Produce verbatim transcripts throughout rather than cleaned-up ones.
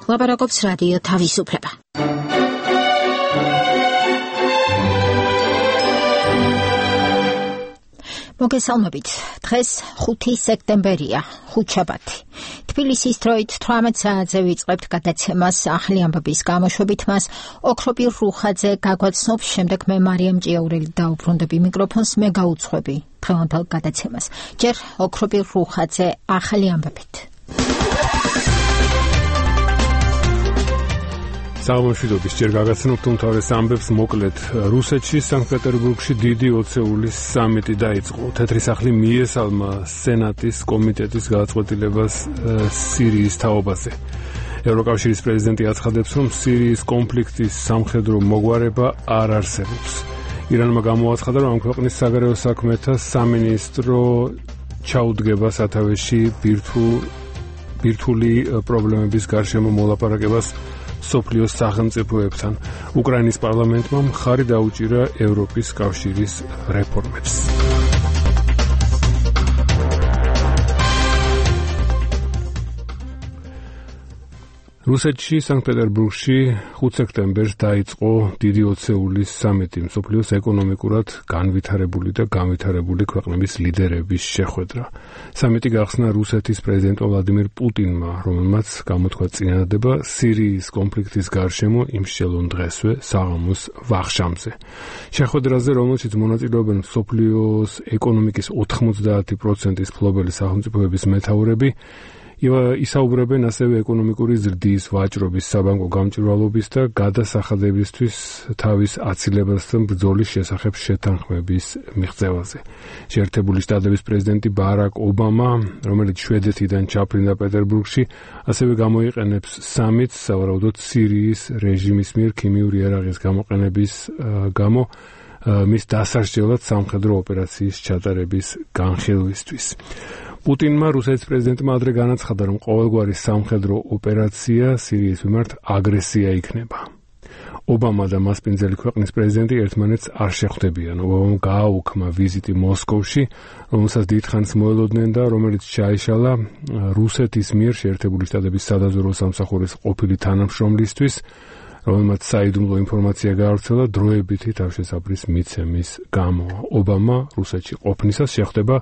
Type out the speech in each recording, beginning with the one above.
ლაპარაკობს რადიო თავისუფლება. მოგესალმებით. დღეს ხუთი სექტემბერია, ხუთშაბათი. თბილისის დროით თვრამეტ საათზე ვიწყებთ გადაცემას ახალი ამბების გამოშვებით. მას ოქრობირ რუხაძე გაგვაცნობს, შემდეგ მე მარიამ ჭიაურელი დაუბრუნდები მიკროფონს, მე გაუძღვები დღევანდელ გადაცემას. ჯერ ოქრობირ რუხაძე ახალი ამბებით. სამშვიდობის ჯერ გაგაცნობთ უმთავრეს ამბებს მოკლედ. რუსეთში სანქტ-პეტერბურგში დიდი ოცეულის სამიტი დაიწყო. თეთრი სახლი მიესალმა სენატის კომიტეტის გადაწყვეტილებას სირიის თაობაზე. ევროკავშირის პრეზიდენტი აცხადებს, რომ სირიის კონფლიქტის სამხედრო მოგვარება არ არსებობს. ირანმა გამოაცხადა, რომ ამ ქვეყნის საგარეო საქმეთა სამინისტრო ჩაუდგება სათავეში ბირთვული პრობლემების გარშემო მოლაპარაკებას სოფლიოს სახელმწიფოებთან. უკრაინის პარლამენტმა მხარი დაუჭირა ევროპის კავშირის რეფორმებს. რუსეთში სანქტ-პეტერბურგში ხუთი სექტემბერს დაიწყო დიდი ოცეულის სამიტი, მსოფლიოს ეკონომიკურად განვითარებული და განვითარებული ქვეყნების ლიდერების შეხვედრა. სამიტი გახსნა რუსეთის პრეზიდენტ ვლადიმირ პუტინმა, რომელმაც გამოთქვა წინადადება სირიის კონფლიქტის გარშემო იმ შემდგომ დღესვე საღამოს ვახშამზე. შეხვედრაზე, რომელშიც მონაწილეობენ მსოფლიოს ეკონომიკის ოთხმოცდაათი პროცენტის მფლობელი სახელმწიფოების მეთაურები, ისაუბრებენ ასევე ეკონომიკური ზრდის, ვაჭრობის, საბანკო გამჭვირვალობის და გადასახადებისთვის თავის აცილებასთან ბრძოლის შესახებ შეთანხმების მიღწევაზე. შეერთებული შტატების პრეზიდენტი ბარაკ ობამა, რომელიც შვედეთიდან ჩაფრინდა პეტერბურგში, ასევე გამოიყენებს სამიტს სავარაუდოდ სირიის რეჟიმის მიერ ქიმიური იარაღის გამოყენების გამო მის დასასრჯელად სამხედრო ოპერაციის ჩატარების განხილვისთვის. პუტინმა რუსეთის პრეზიდენტმა ადრე განაცხადა, რომ ყოველგვარი სამხედრო ოპერაცია სირიის მიმართ აგრესია იქნება. ობამა და მასპინძელი ქვეყნის პრეზიდენტი ერთმანეთს არ შეხვდებიან. ობამამ გააუქმა ვიზიტი მოსკოვში, რომელსაც დიდხანს მოელოდნენ და რომელიც ჩაიშალა რუსეთის მიერ შეერთებული შტატების სადაზვერვო სამსახურის ყოფილი თანამშრომლისთვის, რომელმაც საიდუმლო ინფორმაცია გაავრცელა დროებითი თავშესაფრის მიცემის გამო. ობამა რუსეთში ყოფნისას შეხვდება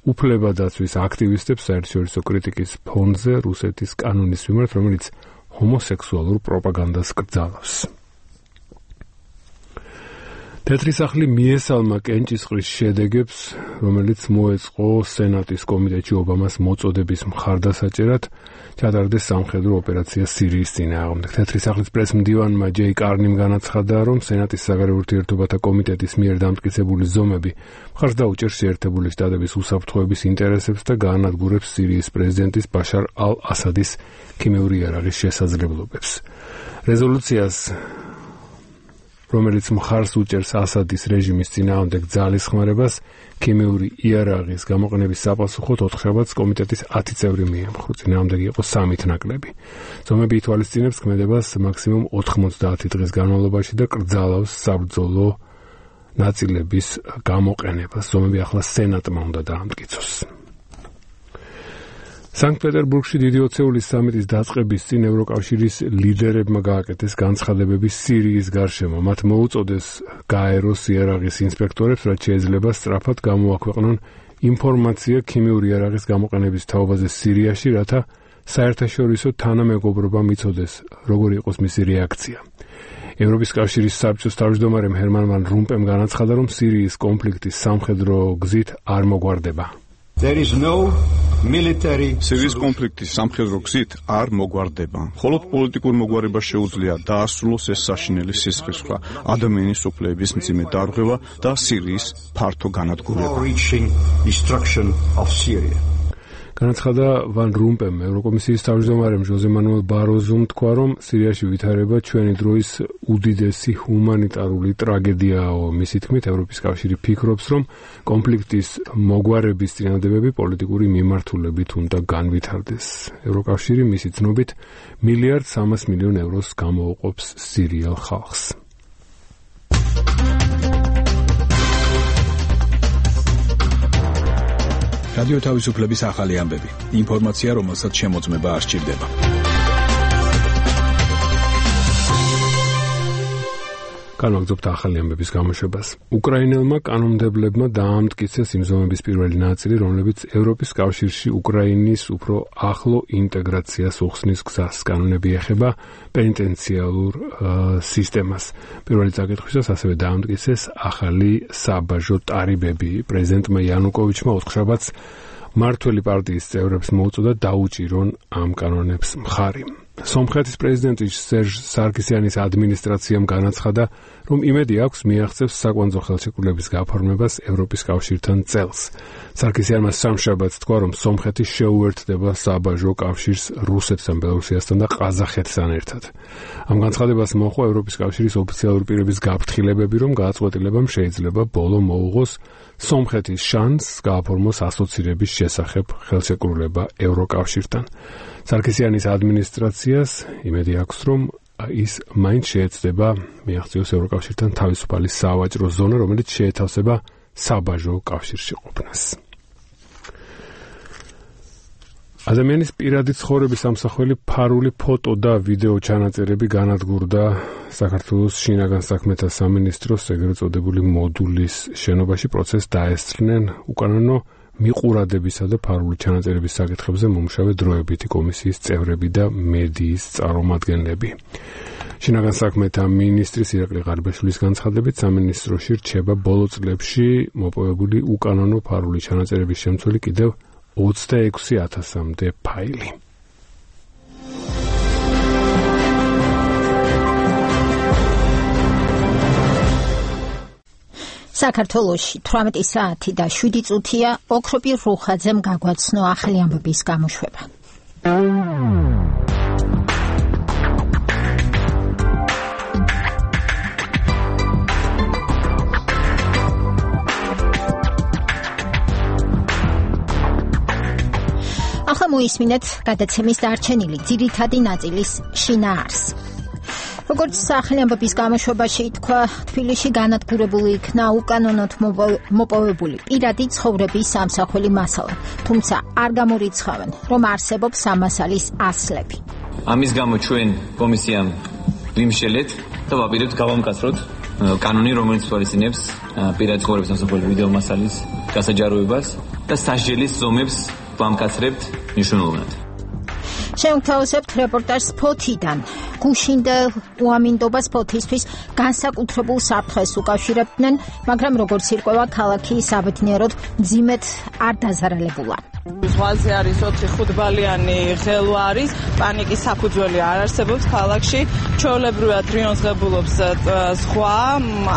უფლებადაცვის აქტივისტებს საერთაშორისო კრიტიკის ფონზე რუსეთის კანონის მიმართ, რომელიც ჰომოსექსუალურ პროპაგანდას კრძალავს. თეთრი სახლი მიესალმა კენჭისყრის შედეგებს, რომელიც მოეწყო სენატის კომიტეტში ობამას მოწოდების მხარდასაჭერად, ჩატარდეს სამხედრო ოპერაცია სირიის წინააღმდეგ. თეთრი სახლის პრესმდივანმა ჯეი კარნიმ განაცხადა, რომ სენატის საგარეო ურთიერთობათა კომიტეტის მიერ დამტკიცებული ზომები მხარს დაუჭერს შეერთებული შტატების უსაფრთხოების ინტერესებს და გაანადგურებს სირიის პრეზიდენტის ბაშარ ალ-ასადის ქიმიური იარაღის შესაძლებლობებს. რეზოლუციას, რომელიც მხარს უჭერს ასადის რეჟიმის წინააღმდეგ ძალის ხმარებას, ქიმიური იარაღის გამოყენების საპასუხოდ ოთხშაბათს კომიტეტის ათი წევრი მიემხრო. წინააღმდეგი იყო სამით ნაკლები. ზომები ითვალისწინებს ქმედებას მაქსიმუმ ოთხმოცდაათი დღის განმავლობაში და კრძალავს საბრძოლო ნაწილების გამოყენებას. ზომები ახლა სენატმა უნდა დაამტკიცოს. სანქტ-პეტერბურგში დიდი ოცეულის სამიტის დაწყების წინ ევროკავშირის ლიდერებმა გააკეთეს განცხადებები სირიის გარშემო. მათ მოუწოდეს გაეროს იარაღის ინსპექტორებს, რაც შეიძლება სწრაფად გამოაქვეყნონ ინფორმაცია ქიმიური იარაღის გამოყენების თაობაზე სირიაში, რათა საერთაშორისო თანამეგობრობამ იცოდეს, როგორი იყოს მისი რეაქცია. ევროპის კავშირის საბჭოს თავმჯდომარემ ჰერმან ვან რომპემ განაცხადა, რომ სირიის კონფლიქტის სამხედრო გზით არ მოგვარდება. There is no military სირიის კონფლიქტის სამხედრო გზით არ მოგვარდება. მხოლოდ პოლიტიკურ მოგვარებას შეუძლია დაასრულოს ეს საშინელი სისხლისღვრა, ადამიანის უფლებების მძიმე დარღვევა და სირიის ფართო განადგურება. განაცხადა ვან რომპემ. ევროკომისიის თავმჯდომარემ ჟოზე მანუელ ბაროზომ თქვა, რომ სირიაში ვითარება ჩვენი დროის უდიდესი ჰუმანიტარული ტრაგედიაო. მისი თქმით, ევროპის კავშირი ფიქრობს, რომ კონფლიქტის მოგვარების წინადადებები პოლიტიკური მიმართულებით უნდა განვითარდეს. ევროკავშირი მისი ცნობით მილიარდ სამას მილიონ ევროს გამოუყოფს სირიელ ხალხს. რადიო თავისუფლების ახალი ამბები. ინფორმაცია, რომელსაც შემოწმება არ სჭირდება. განვაგრძობთ ახალი ამბების გამოშვებას. უკრაინელმა კანონმდებლებმა დაამტკიცეს იმ ზომების პირველი ნაწილი, რომლებიც ევროპის კავშირში უკრაინის უფრო ახლო ინტეგრაციას უხსნის გზას. კანონები ეხება პენიტენციალურ სისტემას. პირველი წაკითხვისას ასევე დაამტკიცეს ახალი საბაჟო ტარიბები. პრეზიდენტმა იანუკოვიჩმა ოთხშაბათს მმართველი პარტიის წევრებს მოუწოდა დაუჭირონ ამ კანონებს მხარი. სომხეთის პრეზიდენტი სერჟ სარკისიანის ადმინისტრაციამ განაცხადა, რომ იმედი აქვს მიაღწევს საკვანძო ხელშეკრულების გაფორმებას ევროპის კავშირთან წელს. სარკისიანმა სამშაბათს თქვა, რომ სომხეთი შეუერთდება საბაჟო კავშირს რუსეთთან, ბელორუსიასთან და ყაზახეთთან ერთად. ამ განცხადებას მოჰყვა ევროპის კავშირის ოფიციალური პირების გაფრთხილებები, რომ გადაწყვეტილებამ შეიძლება ბოლო მოუღოს სომხეთის შანსს გააფორმოს ასოცირების შესახებ ხელშეკრულება ევროკავშირთან. სარკისიანის ადმინისტრაციას იმედი აქვს, რომ ის მაინც შეეცდება მიაღწიოს ევროკავშირთან თავისუფალი სავაჭრო ზონა, რომელიც შეეთავსება საბაჟო კავშირში ყოფნას. ადამიანის პირადი ცხოვრების ამსახველი ფარული ფოტო და ვიდეო ჩანაწერები განადგურდა საქართველოს შინაგან საქმეთა სამინისტროს ეგრეთ წოდებული მოდულის შენობაში. პროცესს დაესწრნენ უკანონო მიყურადებისა და ფარული ჩანაწერების საკითხებზე მომუშავე დროებითი კომისიის წევრები და მედიის წარმომადგენლები. შინაგან საქმეთა მინისტრის ირაკლი ღარიბაშვილის განცხადებით, სამინისტროში რჩება ბოლო წლებში მოპოვებული უკანონო ფარული ჩანაწერების შემცველი კიდევ ოცდაექვსი ათასამდე ფაილი. საქართველოში თვრამეტი საათი და შვიდი წუთია. ოქროპირ რუხაძემ გაგვაცნო ახალი ამბების გამოშვება. ახლა მოისმინეთ გადაცემის დარჩენილი ძირითადი ნაწილის შინაარსი. როგორც ახალი ამბების გამოშვებაში თქვა, თბილისში განადგურებული იქნა უკანონოდ მოპოვებული პირადი ცხოვრების სამსახველი მასალა, თუმცა არ გამორიცხავენ, რომ არსებობს ამასალის ასლები. ამის გამო ჩვენ კომისიამ ვიმშელეთ და ვაპირებთ გავამკაცროთ კანონი, რომელიც თვალისწინებს პირადი ცხოვრების სამსახველი ვიდეო მასალის გასაჯაროებას და სასჯელის ზომებს ვამკაცრებთ მნიშვნელოვნად. შევთავაზებთ რეპორტაჟს ფოთიდან. გუშინდელ უამინდობას ფოთისთვის განსაკუთრებულ საფრთხეს უკავშირებდნენ, მაგრამ როგორც ირკვევა, ქალაქი საბედნიეროდ მძიმედ არ დაზარალებულა. ზღვაზე არის ოთხი ხუთბალიანი ღელვა არის, პანიკის საფუძველი არ არსებობს ქალაქში, ჩვეულებრივად რიონსღებულობს ზღვა,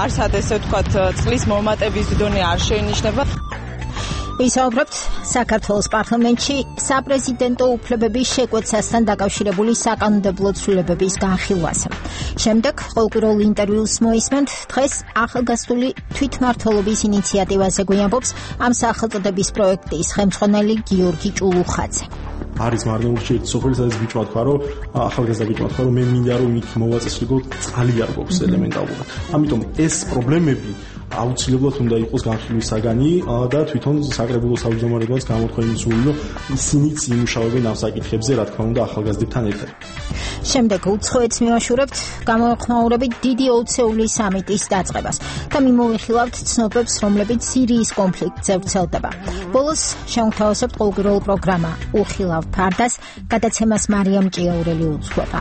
არსად ესე ვთქვათ, წყლის მომატების დონე არ შეინიშნება. ვისაუბრებთ საქართველოს პარლამენტში საპრეზიდენტო უფლებების შეკვეცასთან დაკავშირებული საკანონმდებლო ცვლილებების განხილვაზე. შემდეგ ყოველკვირეულ ინტერვიუს მოისმენთ დღეს ახალგაზრდული თვითმმართველობის ინიციატივაზე გვიამბობს ამ სახელწოდების პროექტის ხელმძღვანელი გიორგი ჭულუხაძე. არის მარნეულში სოფელი, სადაც ბიჭმა თქვა, რომ ახალგაზრდა ბიჭმა თქვა, რომ მე მინდა რომ იქ მოვაწესრიგოთ, წყალი არ გვაქვს ელემენტარულად. ამიტომ ეს პრობლემები აუცილებლად უნდა იყოს განხილვის საგანი და თვითონ საკრებულო თავმჯდომარეებაც გამოთქვა იმისული, რომ ისინიც იმუშავებენ ამ საკითხებზე, რა თქმა უნდა, ახალგაზრდებთან ერთად. შემდეგ უცხოეთს მივაშურებთ გამოეხმაურებით დიდი ოცეული სამიტის დაწყებას და მიმოვიხილავთ ცნობებს, რომლებიც სირიის კონფლიქტზე ვრცელდება. ბოლოს შევთავაზებთ ყოველკვირეულ პროგრამა უხილავ ფარდას, გადაცემას მარიამ ჭიაურელი უძღვება.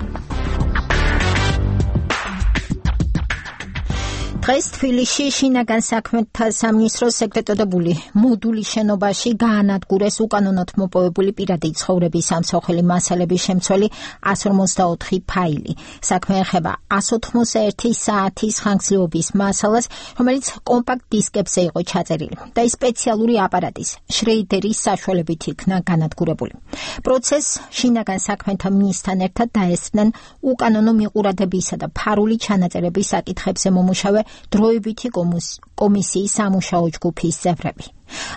დღეს თბილისში შინაგან საქმეთა სამინისტროს ეგრეთ წოდებული მოდულის შენობაში გაანადგურეს უკანონოდ მოპოვებული პირადი ცხოვრების სამსახველი მასალების შემცველი εκατს ორმოცდაოთხი ფაილი. საქმე ეხება εκατს ოთხმოცდაერთი საათის ხანგრძლივობის მასალას, რომელიც კომპაქტ დისკებზე იყო ჩაწერილი და ის სპეციალური აპარატის შრეიდერის საშუალებით იქნა განადგურებული. პროცესს შინაგან საქმეთა მინისტრთან ერთად დაესწრნენ უკანონო მიყურადებისა და ფარული ჩანაწერების საკითხებზე მომუშავე დროებითი კომისიის სამუშაო ჯგუფის წევრები.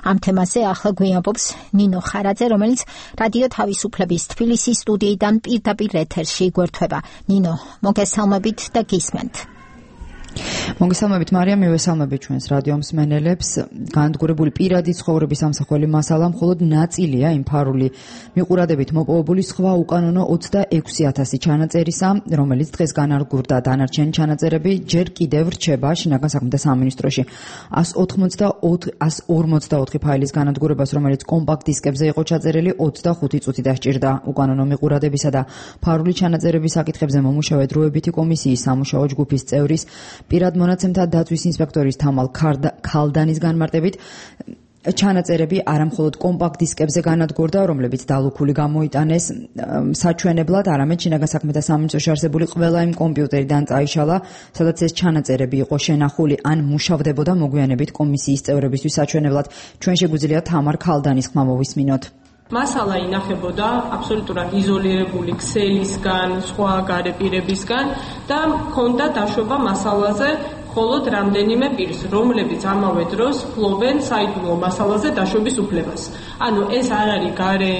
ამ თემაზე ახლა გვიამბობს ნინო ხარაძე, რომელიც რადიო თავისუფლების თბილისის სტუდიიდან პირდაპირ ეთერში გვერდება. ნინო, მოგესალმებით და გისმენთ. მოგესალმებით მარიამ, მივესალმებით ჩვენს რადიო მსმენელებს. განადგურებული პირადი ცხოვრების ამსახველი მასალა მხოლოდ ნაწილია იმ ფარული მიყურადებით მოპოვებული სხვა უკანონო ოცდაექვსი ათასი ჩანაწერისა, რომელიც დღეს განადგურდა. დანარჩენი ჩანაწერები ჯერ კიდევ რჩება შინაგან საქმეთა სამინისტროში. ას ორმოცდაოთხი ფაილის განადგურებას, რომელიც კომპაქტ დისკებზე იყო ჩაწერილი, ოცდახუთი წუთი დასჭირდა. უკანონო მიყურადებისა და ფარული ჩანაწერების საკითხებზე მომუშავე დროებითი კომისიის სამუშაო ჯგუფის წევრის პირად მონაცემთა დაცვის ინსპექტორის თამალ ქალდანის განმარტებით ჩანაწერები არამხოლოდ კომპაქტ დისკებზე განადგურდა, რომლებიც დალუქული გამოიტანეს საჩვენებლად, არამედ შინაგან საქმეთა სამინისტროში არსებული ყველა იმ კომპიუტერიდან წაიშალა, სადაც ეს ჩანაწერები იყო შენახული ან მუშავდებოდა მოგვიანებით კომისიის წევრებისთვის საჩვენებლად. ჩვენ შეგვიძლია თამარ ქალდანის ხმა მოვისმინოთ. მასალა ინახებოდა აბსოლუტურად იზოლირებული ქსელისგან, სხვა გარეპირებისგან და ჰქონდა დაშვება მასალაზე მხოლოდ რამდენიმე პირს, რომლებიც ამავე დროს ფლობენ საიდუმლო მასალაზე დაშვების უფლებას. ანუ ეს არ არის გარე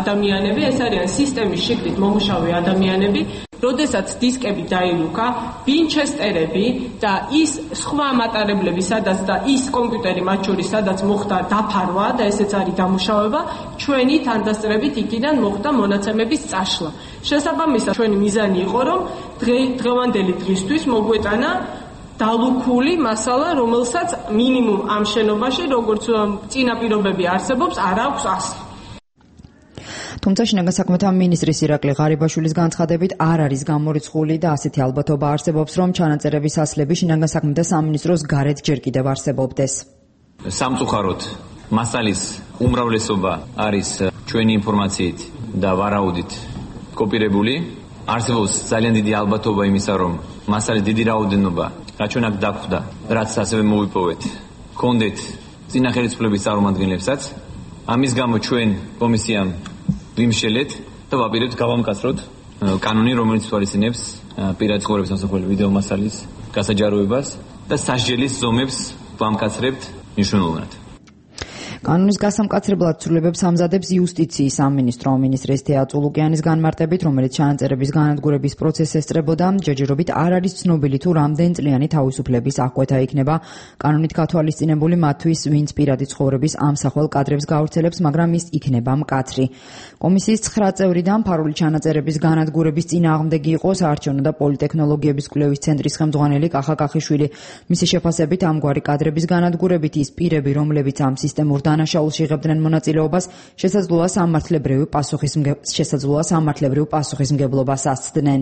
ადამიანები, ეს არიან სისტემის შიგნით მომუშავე ადამიანები, როდესაც დისკები დაილუქა, ვინჩესტერები და ის სხვა მატარებლები, სადაც და ის კომპიუტერი მათ შორის, სადაც მოხდა დაფარვა და ესეც არის დამუშავება, ჩვენი თანდასწრებით იქიდან მოხდა მონაცემების წაშლა. შესაბამისად, ჩვენი მიზანი იყო, რომ დღევანდელი დღისთვის მოგვეტანა დალუქული მასალა, რომელსაც მინიმუმ ამ შენობაში, როგორც წინა პირობები არსებობს, არ აქვს ასლი. თუმცა შინაგან საქმეთა მინისტრის ირაკლი ღარიბაშვილის განცხადებით არ არის გამორიცხული და ასეთი ალბათობა არსებობს, რომ ჩანაწერების ასლები შინაგან საქმეთა სამინისტროს გარეთ ჯერ კიდევ არსებობდეს. სამწუხაროდ მასალის უმრავლესობა არის ჩვენი ინფორმაციით და ვარაუდით კოპირებული. არსებობს ძალიან დიდი ალბათობა იმისა, რომ მასალის დიდი რაოდენობა რაც ჩვენ აქ დაგვხვდა, რაც ასევე მოვიპოვეთ, გქონდეთ წინა ხელისუფლების წარმომადგენლებსაც. ამის გამო ჩვენ კომისიამ ვიმშელეთ და ვაპირებთ გავამკაცროთ კანონი, რომელიც თვალისწინებს პირადი ცხოვრების ამსახველი ვიდეო მასალის გასაჯაროებას და სასჯელის ზომებს ვამკაცრებთ მნიშვნელოვნად. კანონის გასამკაცრებლად ცვლილებებს ამზადებს იუსტიციის სამინისტრო. მინისტრის თეა წულუკიანის განმარტებით, რომელიც ჩანაწერების განადგურების პროცესს ესწრებოდა, ჯერჯერობით არ არის ცნობილი თუ რამდენწლიანი თავისუფლების აღკვეთა იქნება კანონით გათვალისწინებული მათთვის, ვინც პირადი ცხოვრების ამსახველ კადრებს გაავრცელებს, მაგრამ ის იქნება მკაცრი. კომისიის ცხრა წევრიდან ფარული ჩანაწერების განადგურების წინააღმდეგი იყო საარჩევნო და პოლიტექნოლოგიების კვლევის ცენტრის ხელმძღვანელი კახა კახიშვილი. მისი შეფასებით, ამგვარი კადრების განადგურებით ის პირები, რომლებიც ამ სისტემურ დანაშაულში იღებდნენ მონაწილეობას, შესაძლოა სამართლებრივი შესაძლოა სამართლებრივ პასუხისმგებლობას ასცდნენ.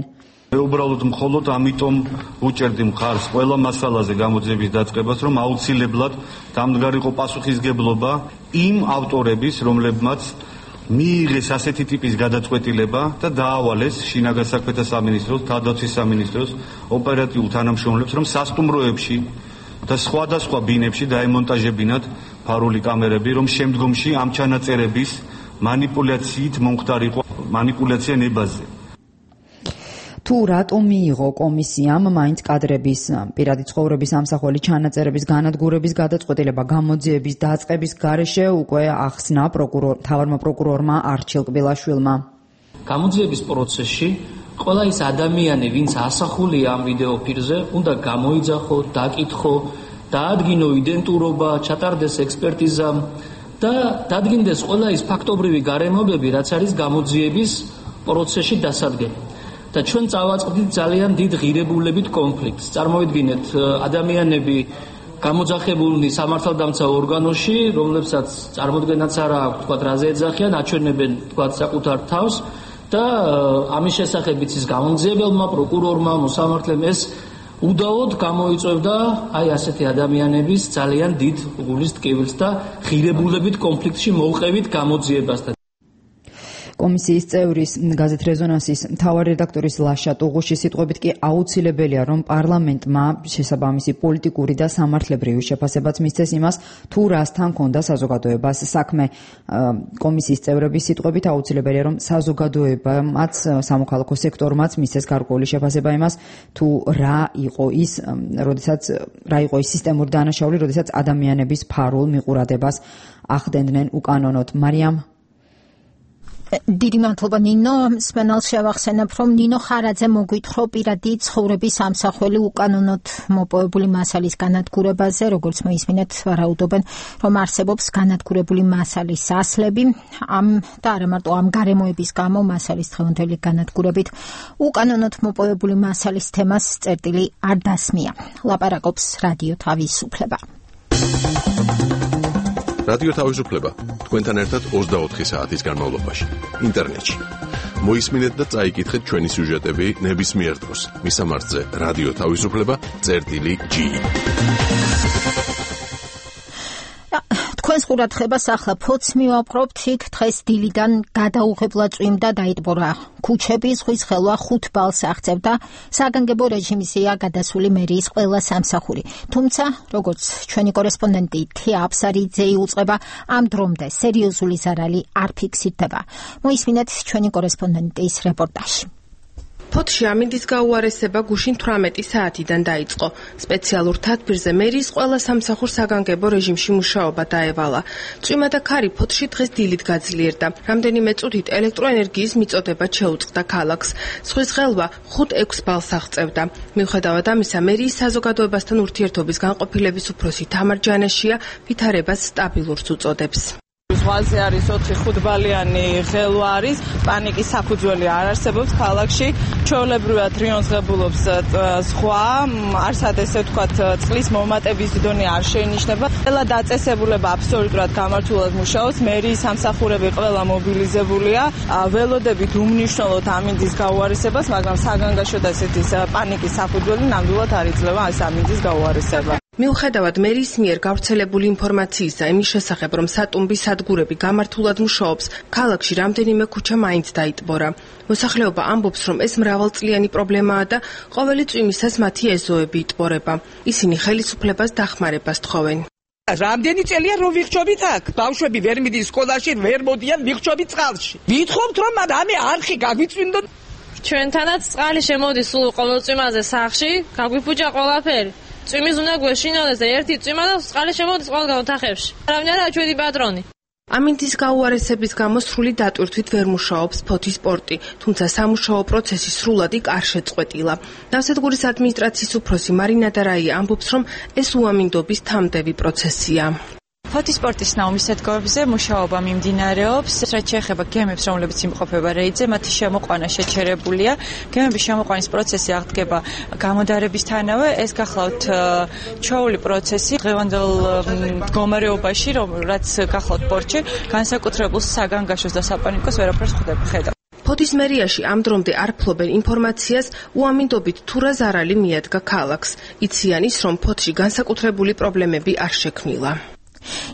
უბრალოდ მხოლოდ ამიტომ უჭერდი მხარს ყველა მასალაზე გამოძიების დაწყებას, რომ აუცილებლად დამდგარიყო პასუხისმგებლობა იმ ავტორების, რომლებმაც მიიღეს ასეთი ტიპის გადაწყვეტილება და დაავალეს შინაგან საქმეთა სამინისტროს, თავდაცვის სამინისტროს ოპერატიულ თანამშრომლებს, რომ სასტუმროებში და სხვადასხვა ბინებში დაემონტაჟებინათ ფარული კამერები, რომ შემდგომში ამ ჩანაწერების მანიპულაციით მომხდარიყო მანიპულაცია ნებაზე. თუ რატომ მიიღო კომისიამ მაინც კადრების პირადი ცხოვრების ამსახველი ჩანაწერების განადგურების გადაწყვეტილება გამოძიების დაწყების გარეშე უკვე ახსნა პროკურორ თავარმა პროკურორმა არჩილ კბილაშვილმა. გამოძიების პროცესში ყველა ის ადამიანი, ვინც ასახულია ამ ვიდეო ფირზე, უნდა გამოიძახო, დაკითხო, დაადგინო იდენტურობა, ჩატარდეს ექსპერტიზა და დადგინდეს ყველა ის ფაქტობრივი გარემოებები, რაც არის გამოძიების პროცესში დასადგენი. და ჩვენ წავაწყდით ძალიან დიდ ღირებულებით კონფლიქტს. წარმოვიდგინეთ, ადამიანები გამოძახებულნი სამართალდამცავ ორგანოში, რომლებსაც წარმოდგენაც არ აქვს, თქვა რაზე ეძახიან, აჩვენებენ თქვა საკუთარ თავს და ამის შესახებიც ის გამომძიებელმა, პროკურორმა, მოსამართლემ ეს უდაოდ გამოიწვევდა აი ასეთი ადამიანების ძალიან დიდ გულის ტკივილს და ღირებულებით კონფლიქტში მოვყევით გამოძიებასთან. კომისიის წევრის გაზეთ რეზონანსის მთავარი რედაქტორის ლაშა ტუღუშის სიტყვებით კი აუცილებელია, რომ პარლამენტმა შესაბამისი პოლიტიკური და სამართლებრივი შეფასებაც მისცეს იმას, თუ რასთან ქონდა საზოგადოებას საქმე. კომისიის წევრების სიტყვებით აუცილებელია, რომ საზოგადოებამაც, სამოქალაქო სექტორმაც მისცეს გარკვეული შეფასება იმას, თუ რა იყო ის, როდესაც რა იყო ის სისტემური დანაშაული, როდესაც ადამიანების ფარულ მიყურადებას ახდენდნენ უკანონოდ. მარიამ დიდი მადლობა ნინო. მსმენელს შევახსენებ, რომ ნინო ხარაძე მოგვითხრა პირადი ცხოვრების ამსახველი უკანონოდ მოპოვებული მასალის განადგურებაზე, როგორც მოისმინეთ, ვარაუდობენ, რომ არსებობს განადგურებული მასალის ასლები, ამ და არა მარტო ამ გარემოების გამო მასალის დღევანდელი განადგურებით უკანონოდ მოპოვებული მასალის თემას წერტილი არ დასმია. ლაპარაკობს რადიო თავისუფლება. რადიო თავისუფლება თქვენთან ერთად ოცდაოთხი საათის განმავლობაში ინტერნეტში. მოისმინეთ და წაიკითხეთ ჩვენი სიუჟეტები ნებისმიერ დროს. მისამართზე რადიო თავისუფლება წერტილი ჯი. თქვენს ყურადღებას ახლა ფოც მივაპყრობთ. იქ დღეს დილიდან გადაუღებლად წვიმდა, დაიტბორა ქუჩები, ზღვის ხელვა ხუთ ბალს აღწევდა. საგანგებო რეჟიმზეა გადასული მერიის ყველა სამსახური. თუმცა, როგორც ჩვენი კორესპონდენტი თია აფსარიძე იუწყება, ამ დრომდე სერიოზული ზარალი არ ფიქსირდება. მოისმინეთ ჩვენი კორესპონდენტის რეპორტაჟი. ფოთში ამინდის გაუარესება გუშინ თვრამეტი საათიდან დაიწყო. სპეციალურ თათბირზე მერიის ყველა სამსახურს საგანგებო რეჟიმში მუშაობა დაევალა. წვიმა და ქარი ფოთში დღეს დილით გაძლიერდა. რამდენიმე წუთით ელექტროენერგიის მიწოდება შეუწყდა ქალაქს. ზღვის ხელვა ხუთ ექვს ბალს აღწევდა. მიუხედავად ამისა, მერიის საზოგადოებასთან ურთიერთობის განყოფილების უფროსი თამარ ჯანაშია ვითარებას სტაბილურს უწოდებს. ზღვაზე არის ოთხი ხუთბალიანი ხელვა არის, პანიკის საფუძველი არ არსებობს ქალაქში, ჩვეულებრივად რიონსღებულობს ზღვა, არსად ესე ვთქვათ, წყლის მომატების დონე არ შეინიშნება. ყველა დაწესებულება აბსოლუტურად გამართულად მუშაობს, მერიის სამსახურები ყველა მობილიზებულია, ველოდებით უმნიშვნელოდ ამინდის გაუარესებას, მაგრამ საგანგაშო და ესეთი პანიკის საფუძველი ნამდვილად არ იძლევა ეს ამინდის გაუარესება. მიუხედავად მერიის მიერ გავრცელებული ინფორმაციისა იმის შესახებ, რომ სატუმბი სადგურები გამართულად მუშაობს, ქალაქში რამდენიმე ქუჩა მაინც დაიტბორა. მოსახლეობა ამბობს, რომ ეს მრავალწლიანი პრობლემაა და ყოველი წვიმისას მათი ეზოები იტბორება. ისინი ხელისუფლებას დახმარებას თხოვენ. რამდენი წელია რომ ვიხჩობით აქ? ბავშვები ვერ მიდის სკოლაში, ვერ მოდიან ვიხჩობით წყალში. ვითხოვთ, რომ ამე არხი გაგვიწვინდონ. ჩვენთანაც წყალი შემოდის სულ ყოველ წვიმაზე სახლში, გაგვიფუჭა ყველაფერი. წვიმის უნდა გვეშინოდეს და ერთი წვიმა და წყალი შემოდის ყველგან ოთახებში. არავინ არა ჩვენი პატრონი. ამინდის გაუარესების გამო სრული დატვირთვით ვერ მუშაობს ფოთის პორტი, თუმცა სამუშაო პროცესი სრულად იქ არ შეწყვეტილა. ნავსადგურის ადმინისტრაციის უფროსი მარინა დარაია ამბობს, რომ ეს უამინდობის თამდევი პროცესია. ფოთის პორტის ნაუმის სადგურებზე მუშაობა მიმდინარეობს. რაც შეეხება გემებს, რომლებიც იმყოფება რეიდზე, მათი შემოყვანა შეჩერებულია. გემების შემოყვანის პროცესი აღდგება გამოდარებისთანავე. ეს გახლავთ ჩვეული პროცესი დღევანდელ მდგომარეობაში, რაც გახლავთ პორტში, განსაკუთრებულ საგანგაშოს და საპანიკოს ვერაფერს ხვდება. ფოთის მერიაში ამ დრომდე არ ფლობენ ინფორმაციას, უამინდობით თუ რა ზარალი მიადგა ქალაქს. იციან ის, რომ ფოთში განსაკუთრებული პრობლემები არ შექმნილა.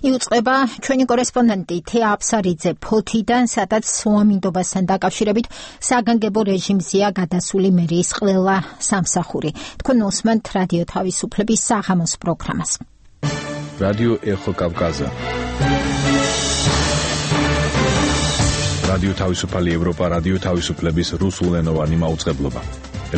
იუწყება ჩვენი კორესპონდენტი თია აფსარიძე ფოთიდან, სადაც უამინდობასთან დაკავშირებით საგანგებო რეჟიმზეა გადასული მერიის ყველა სამსახური. თქვენ უსმენთ რადიო თავისუფლების საღამოს პროგრამას. რადიო ეხო კავკაზა. რადიო თავისუფალი ევროპა, რადიო თავისუფლების რუსულენოვანი მაუწყებლობა.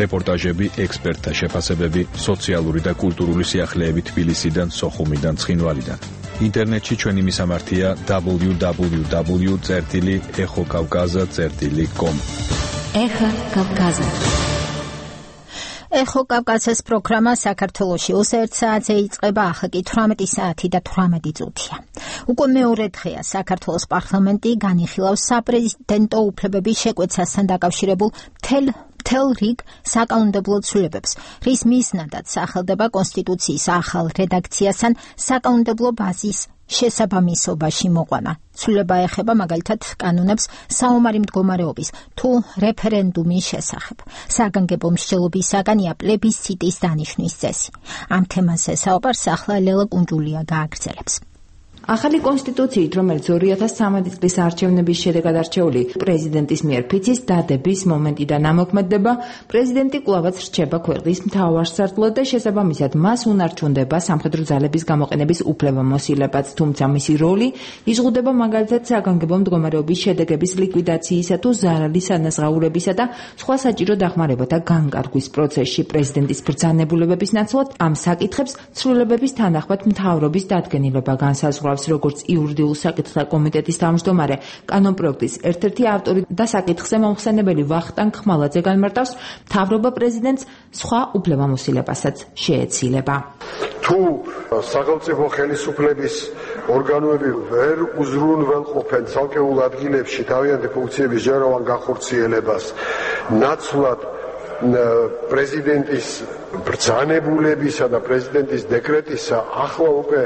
რეპორტაჟები, ექსპერტთა შეფასებები, სოციალური და კულტურული სიახლეები თბილისიდან, სოხუმიდან, ცხინვალიდან. ინტერნეტში ჩვენი მისამართია დაბლიუ დაბლიუ დაბლიუ წერტილი ეხო კავკაზა წერტილი კომ. ეხო კავკაზა. ეხო კავკაზას პროგრამა საქართველოში ოცდაერთ საათზე იწყება, ახლა კი თვრამეტი საათი და თვრამეტი წუთია. უკვე მეორე დღეა საქართველოს პარლამენტი განიხილავს საპრეზიდენტო უფლებების შეკვეცასთან დაკავშირებულ მთელ მთელ რიგ საკანონმდებლო ცვლილებებს, რის მიზნადაც სახელდება კონსტიტუციის ახალ რედაქციასთან საკანონმდებლო ბაზის შესაბამისობაში მოყვანა. ცვლილება ეხება მაგალითად კანონებს საომარი მდგომარეობის თუ რეფერენდუმის შესახებ. საგანგებო მსჯელობისაგანია პლებისციტის დანიშვნის წესი. ამ თემაზე საუბარს ახლა ლელა კუნჯულია გააგრძელებს. ახალი კონსტიტუციით, რომელიც ორი ათას სამი წლის არჩევნების შედეგად არჩეული პრეზიდენტის მიერ ფიცის დადების მომენტიდან ამოქმედდება, პრეზიდენტი კვლავაც რჩება ქვეყნის მთავარსარდლად და შესაბამისად მას უნარჩუნდება სამხედრო ძალების გამოყენების უფლებამოსილებაც, თუმცა მისი როლი იზღუდება მაგალითად საგანგებო მდგომარეობის შედეგების ლიკვიდაციისა თუ ზარალის ანაზღაურებისა და სხვა საჭირო დახმარებათა განკარგვის პროცესში. პრეზიდენტის ბრძანებულებების ნაცვლად ამ საკითხებს ცვლილებების თანახმად მთავრობის დადგენილება განსაზღვრავს. მოგვითხრობს როგორც იურიდიულ საკითხთა კომიტეტის თავმჯდომარე, კანონპროექტის ერთ-ერთი ავტორი და საკითხზე მომხსენებელი ვახტანგ ხმალაძე განმარტავს, მთავრობა პრეზიდენტს სხვა უფლებამოსილებასაც შეეცილება. თუ სახელმწიფო ხელისუფლების ორგანოები ვერ უზრუნველყოფენ ცალკეულ ადგილებში თავიანთი ფუნქციების ჯეროვან განხორციელებას, ნაცვლად პრეზიდენტის ბრძანებულებისა და პრეზიდენტის დეკრეტისა ახლა უკვე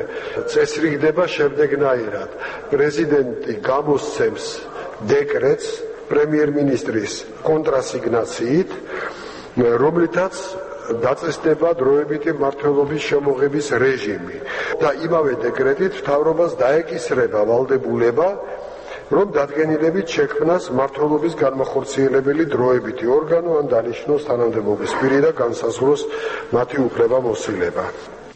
წესრიგდება შემდეგნაირად. პრეზიდენტი გამოსცემს დეკრეტს პრემიერ-მინისტრის კონტრასიგნაციით, რომლითაც დაწესდება დროებითი მმართველობის შემოღების რეჟიმი და იმავე დეკრეტით მთავრობას დაეკისრება ვალდებულება, რომ დადგენილებით შექმნას მმართველობის განმახორციელებელი დროებითი ორგანო ან დანიშნოს თანამდებობის პირი და განსაზღვროს მათი უფლებამოსილება.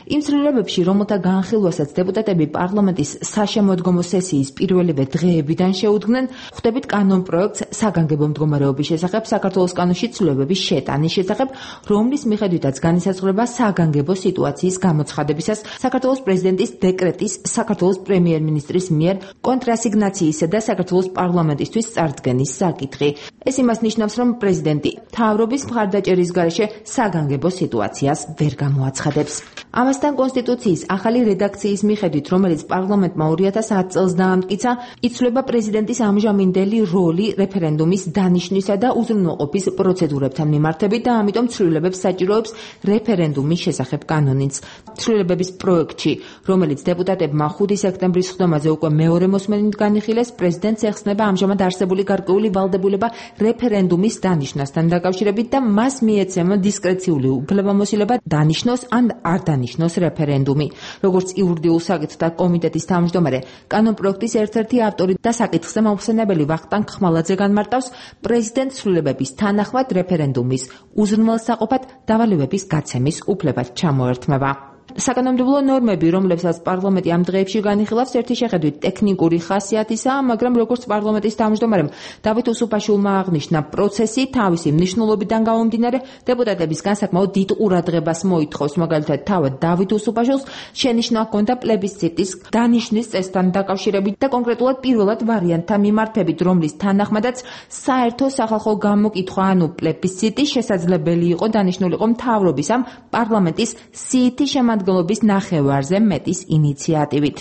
იმ ცვლილებებში, რომელთა განხილვასაც დეპუტატები პარლამენტის საშემოდგომო სესიის პირველივე დღეებიდან შეუდგნენ, ხვდებით კანონპროექტს საგანგებო მდგომარეობის შესახებ საქართველოს კანონში ცვლილებების შეტანის შესახებ, რომლის მიხედვითაც განისაზღვრება საგანგებო სიტუაციის გამოცხადებისას საქართველოს პრეზიდენტის დეკრეტის, საქართველოს პრემიერ-მინისტრის მიერ კონტრასიგნაციისა და საქართველოს პარლამენტისთვის წარდგენის საკითხი. ეს იმას ნიშნავს, რომ პრეზიდენტი მთავრობის მხარდაჭერის გარეშე საგანგებო სიტუაციას ვერ გამოაცხადებს. ამასთან კონსტიტუციის ახალი რედაქციის მიხედვით, რომელიც პარლამენტმა ორი ათას ათი წელს დაამტკიცა, იცვლება პრეზიდენტის ამჟამინდელი როლი რეფერენდუმის დანიშნვისა და უზრუნველყოფის პროცედურებთან მიმართებით და ამიტომ ცვლილებებს საჭიროებს რეფერენდუმის შესახებ კანონიც. ცვლილებების პროექტში, რომელიც დეპუტატებმა ხუთი სექტემბრის ხდომაზე უკვე მეორე მოსმენით განიხილეს, პრეზიდენტს ეხსნება ამჟამად არსებული გარკვეული ვალდებულება რეფერენდუმის დანიშნვასთან დაკავშირებით და მას მიეცემა დისკრეციული უფლებამოსილება დანიშნოს ან არ დანიშნოს რეფერენდუმი. როგორც იურიდიულ საკითხთა კომიტეტის თავმჯდომარე, კანონპროექტის ერთ-ერთი ავტორი და საკითხზე მომხსენებელი ვახტანგ ხმალაძე განმარტავს, პრეზიდენტს ცვლილებების თანახმად რეფერენდუმის უზრუნველსაყოფად დავალებების გაცემის უფლებაც ჩამოერთმება. საკანონმდებლო ნორმები, რომლებსაც პარლამენტი ამ დღეებში განიხილავს, ერთი შეხედვით ტექნიკური ხასიათისაა, მაგრამ როგორც პარლამენტის თავმჯდომარემ დავით უსუფაშვილმა აღნიშნა, პროცესი თავისი მნიშვნელობიდან გამომდინარე დეპუტატებისგან საკმაოდ დიდ ყურადღებას მოითხოვს. მაგალითად, თავად დავით უსუფაშვილს შენიშვნა ჰქონდა პლებისციტის დანიშნვის წესთან დაკავშირებით და კონკრეტულად პირველად ვარიანტთან მიმართებით, რომლის თანახმადაც საერთო სახალხო გამოკითხვა, ანუ პლებისციტი შესაძლებელი იყო დანიშნულიყო მთავრობის ამ პარლამენტის სიითი შემადგენლობის ნახევარზე მეტის ინიციატივით.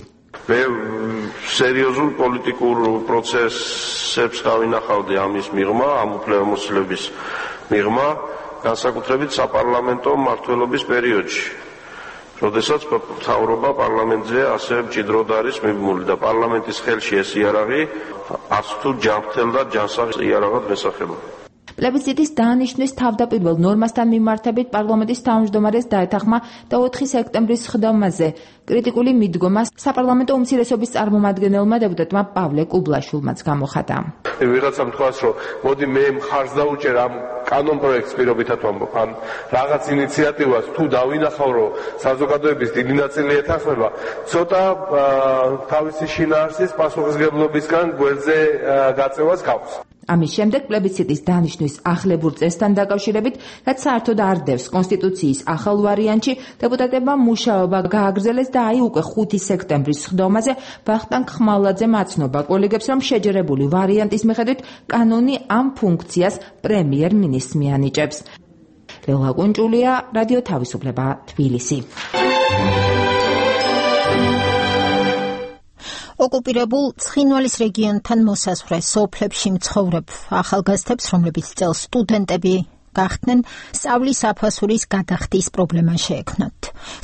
მე სერიოზულ პოლიტიკურ პროცესებს გავინახავდი ამის მიღმა, ამ უფლებამოსილების მიღმა, განსაკუთრებით sapparlamento მმართველობის პერიოდში. როდესაც მთავრობა პარლამენტზე ასე მჭიდროდ არის მიბმული და პარლამენტის ხელში ეს იარაღი არც თუ ჯანმრთელ და ჯანსაღ იარაღად მესახება. პლებისციტის დანიშნვის თავდაპირველ ნორმასთან მიმართებით პარლამენტის თავმჯდომარეს დაეთანხმა და ოთხი სექტემბრის ხდომაზე კრიტიკული მიდგომა საპარლამენტო უმცირესობის წარმომადგენელმა დეპუტატმა პავლე კუბლაშვილმაც გამოხატა. ვიღაცამ თქვას, რომ მოდი მე მხარს დავუჭერ ამ კანონპროექტს პირობითად ვამბობ, ან რაღაც ინიციატივას თუ დავინახავ, რომ საზოგადოების დიდი ნაწილი ეთანხმება, ცოტა თავისი შინაარსის პასუხისგებლობისგან გვერდზე გაწევას გავს. ამის შემდეგ პლებისციტის დანიშნვის ახლებურ წესთან დაკავშირებით, რაც საერთოდ არ დევს კონსტიტუციის ახალ ვარიანტში, დეპუტატებმა მუშაობა გააგრძელეს და აი უკვე ხუთი სექტემბრის ხდომაზე ვახტანგ ხმალაძემ აცნობა კოლეგებს, რომ შეჯერებული ვარიანტის მიხედვით კანონი ამ ფუნქციას პრემიერ-მინისტრს მიანიჭებს. ლელა კუნჭულია, რადიო თავისუფლება, თბილისი. ოკუპირებულ ცხინვალის რეგიონთან მოსაზღვრე სოფლებში მცხოვრებ ახალგაზრდებს, რომლებიც წელს სტუდენტები გახდნენ, სწავლის აფასურის გადახდის პრობლემა შეექმნათ.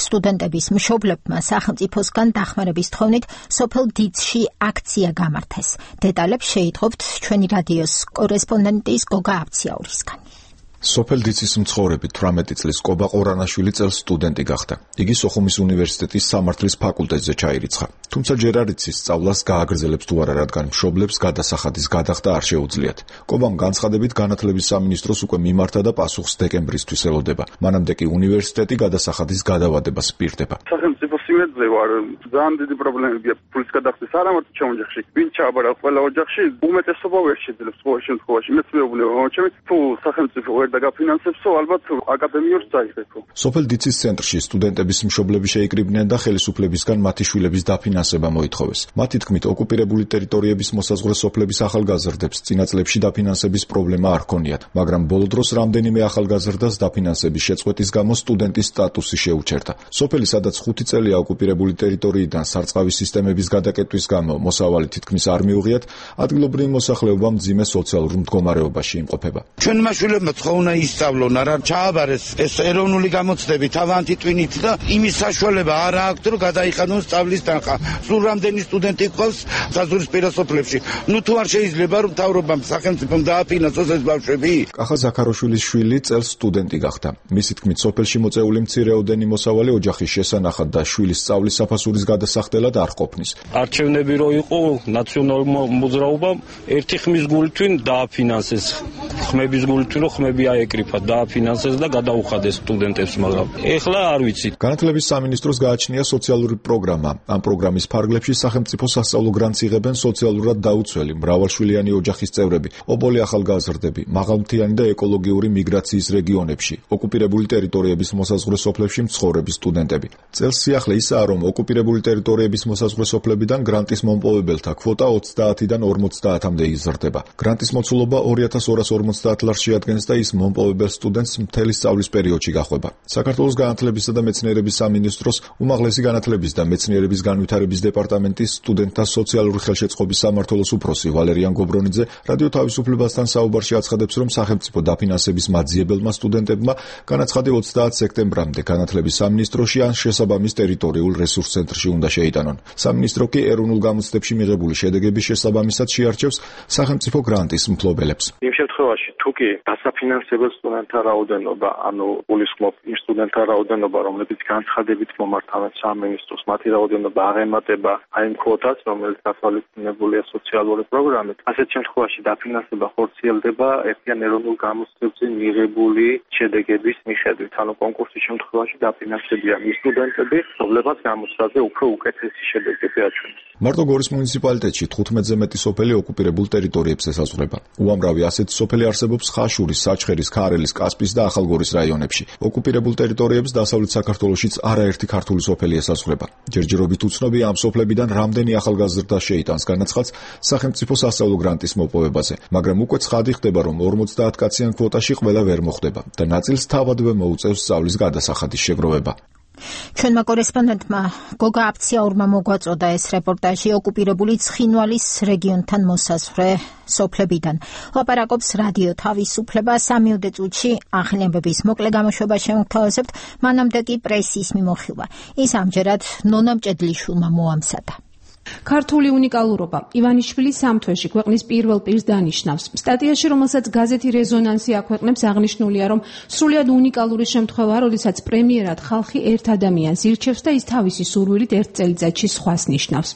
სტუდენტების მშობლებმა სახელმწიფოსგან დახმარების თხოვნით სოფელ დიცში აქცია გამართეს. დეტალებს შეითხოვთ ჩვენი რადიოს კორესპონდენტის გოგა აბციაურისგან. სოფელ დიცის მცხოვრები თვრამეტი წლის კობა ყორანაშვილი წელს სტუდენტი გახდა. იგი სოხუმის უნივერსიტეტის სამართლის ფაკულტეტზე ჩაირიცხა. თუმცა ჯერ არ იცის სწავლას გააგრძელებს თუ არა, რადგან მშობლებს გადასახადის გადახდა არ შეუძლიათ. კობამ განცხადებით განათლების სამინისტროს უკვე მიმართა და პასუხს დეკემბრისთვის ელოდება. მანამდე კი უნივერსიტეტი გადასახადის გადავადებას პირდება. სახელმწიფო იმედზე ვარ, ძალიან დიდი პრობლემებია ფულის გადახდის არა მარტო ჩემ ოჯახში, ვინ ჩააბარა ყველა ოჯახში, უმეტესობა ვერ შეძლებს ყოველ შემთხვევაში. მეც მეუბნება მომჩემი, თუ სახელმწიფო ვერ დაგაფინანსებსო, ალბათ აკადემიურს წაიღებო. სოფელ დიცის ცენტრში სტუდენტების მშობლები შეიკრიბნენ და ხელისუფლებისგან მათი შვილების დაფინანსება მოითხოვეს. მათი თქმით, ოკუპირებული ტერიტორიების მოსაზღვრე სოფლების ახალგაზრდებს წინა წლებში დაფინანსების პრობლემა არ ჰქონიათ, მაგრამ ბოლო დროს რამდენიმე ახალგაზრდას დაფინანსების შეწყვეტის გამო სტუდენტის სტატუსი შეუჩერდა. სოფელი, სადაც ხუთი წელია ოკუპირებული ტერიტორიიდან სარწყავი სისტემების გადაკეტვის გამო მოსავალი თითქმის არ მიუღიათ, ადგილობრივი მოსახლეობა მძიმე სოციალურ მდგომარეობაში იმყოფება. ჩვენმა შვილებმა ხო უნდა ისწავლონ, არა ჩააბარეს ეს ეროვნული გამოცდები თავანთი ტვინით და იმის საშუალება არ აქვს, რომ გადაიხადონ სწავლის თანხა. სულ რამდენი სტუდენტი ყავს საზღვრისპირა სოფლებში. ნუ თუ არ შეიძლება რომ მთავრობამ სახელმწიფომ დააფინანსოს ეს ბავშვები. კახა ზაქაროშვილის შვილი წელს სტუდენტი გახდა. მისი თქმით, სოფელში მოწეული მცირეოდენი მოსავალი ოჯახის შესანახად და შვილის სწავლის საფასურის გადასახდელად არ ყოფნის. არჩევნები რო იყო ნაციონალურმა მოძრაობამ ერთი ხმის გულთვინ დააფინანსეს. ხმების გულთვინ რო ხმები აეკრიფა, დააფინანსეს და გადაუხადეს სტუდენტებს, მაგრამ ეხლა არ ვიცი. განათლების სამინისტროს გააჩნია სოციალური პროგრამა. ამ პროგრამის ფარგლებში სახელმწიფო სასწავლო გრანტს იღებენ სოციალურად დაუცველი, მრავალშვილიანი ოჯახის წევრები, ობოლი ახალგაზრდები, მაღალმთიანი და ეკოლოგიური მიგრაციის რეგიონებში, ოკუპირებული ტერიტორიების მოსაზღვრე სოფლებში მცხოვრები სტუდენტები. წელს სიახლე ისაა, რომ ოკუპირებული ტერიტორიების მოსაზღვრე სოფლებიდან გრანტის მომპოვებელთა კვოტა ოცდაათიდან ორმოცდაათამდე იზრდება. გრანტის მოცულობა ორი ათას ორას ორმოცდაათ ლარს შეადგენს და ის მომპოვებელ სტუდენტს მთელი სწავლის პერიოდში გახვება. საქართველოს განათლებისა და მეცნიერების სამინისტროს უმაღლესი განათლების და მეცნიერების განვითარების დეპარტამენტის სტუდენტთა სოციალური ხელშეწყობის სამმართველოს უფროსი ვალერიან გობრონიძე რადიო თავისუფლებასთან საუბარში აცხადებს, რომ სახელმწიფო დაფინანსების მაძიებელმა სტუდენტებმა განაცხადი ოცდაათ სექტემბრამდე განათლების სამინისტროში ან შესაბამის ტერიტორიულ რესურს ცენტრში უნდა შეიტანონ. სამინისტრო კი ეროვნულ გამოცდებში მიღებული შედეგების შესაბამისად შეარჩევს სახელმწიფო გრანტის მფლობელებს. იმ შემთხვევაში თუ კი დასაფინანსებელ სტუდენტთა რაოდენობა, ანუ გულისხმობ იმ სტუდენტთა რაოდენობა, რომლებიც განცხადებით მომართავენ სამინისტროს, მათი რაოდენობა აღემატება აი იმ კვოტას, რომელიც გათვალისწინებულია სოციალური პროგრამით, ასეთ შემთხვევაში დაფინანსება ხორციელდება ერთიან ეროვნულ გამოცდებზე მიღებული შედეგების მიხედვით. ანუ კონკურსის შემთხვევაში დაფინანსებიან ის სტუდენტები, რომლებმაც გამოცდაზე უფრო უკეთესი შედეგები აჩვენეს. მარტო გორის მუნიციპალიტეტში თხუთმეტზე მეტი სოფელი ოკუპირებულ ტერიტორიებს ესაზღვრება. უამრავი ასეთი სოფელი არსებობს ხაშურის, საჩხერის, ქარელის, კასპის და ახალგორის რაიონებში. ოკუპირებულ ტერიტორიებს დასავლეთ საქართველოშიც არაერთი ქართული სოფელი ესაზღვრება. ჯერჯერობით უცნობია ამ სოფლებიდან რამდენი ახალგაზრდა შეიტანს განაცხადს სახელმწიფო სასწავლო გრანტის მოპოვებაზე, მაგრამ უკვე ცხადი ხდება, რომ ორმოცდაათ კაციან კვოტაში ყველა ვერ მოხვდება და ნაწილს თავადვე მოუწევს სწავლის გადასახადის შეგროვება. ჩვენმა კორესპონდენტმა გოგა აფციაურმა მოგვაწოდა ეს რეპორტაჟი ოკუპირებული ცხინვალის რეგიონთან მოსაზღვრე სოფლებიდან. ლაპარაკობს რადიო თავისუფლება. სამიოდე წუთში ახალი ამბების მოკლე გამოშვება შევთავაზებთ, მანამდე კი პრესის მიმოხილვა. ის ამჯერად ნონა მჭედლიშვილმა მოამზადა. ქართული უნიკალურობა ივანიშვილის სამთვეში ქვეყნის პირველ პირს დანიშნავს. სტატიაში, რომელსაც გაზეთი რეზონანსი აქვეყნებს, აღნიშნულია, რომ სრულიად უნიკალური შემთხვევაა, როდესაც პრემიერად ხალხი ერთ ადამიანს ირჩევს და ის თავისი სურვილით ერთ წელიწადში სხვას ნიშნავს.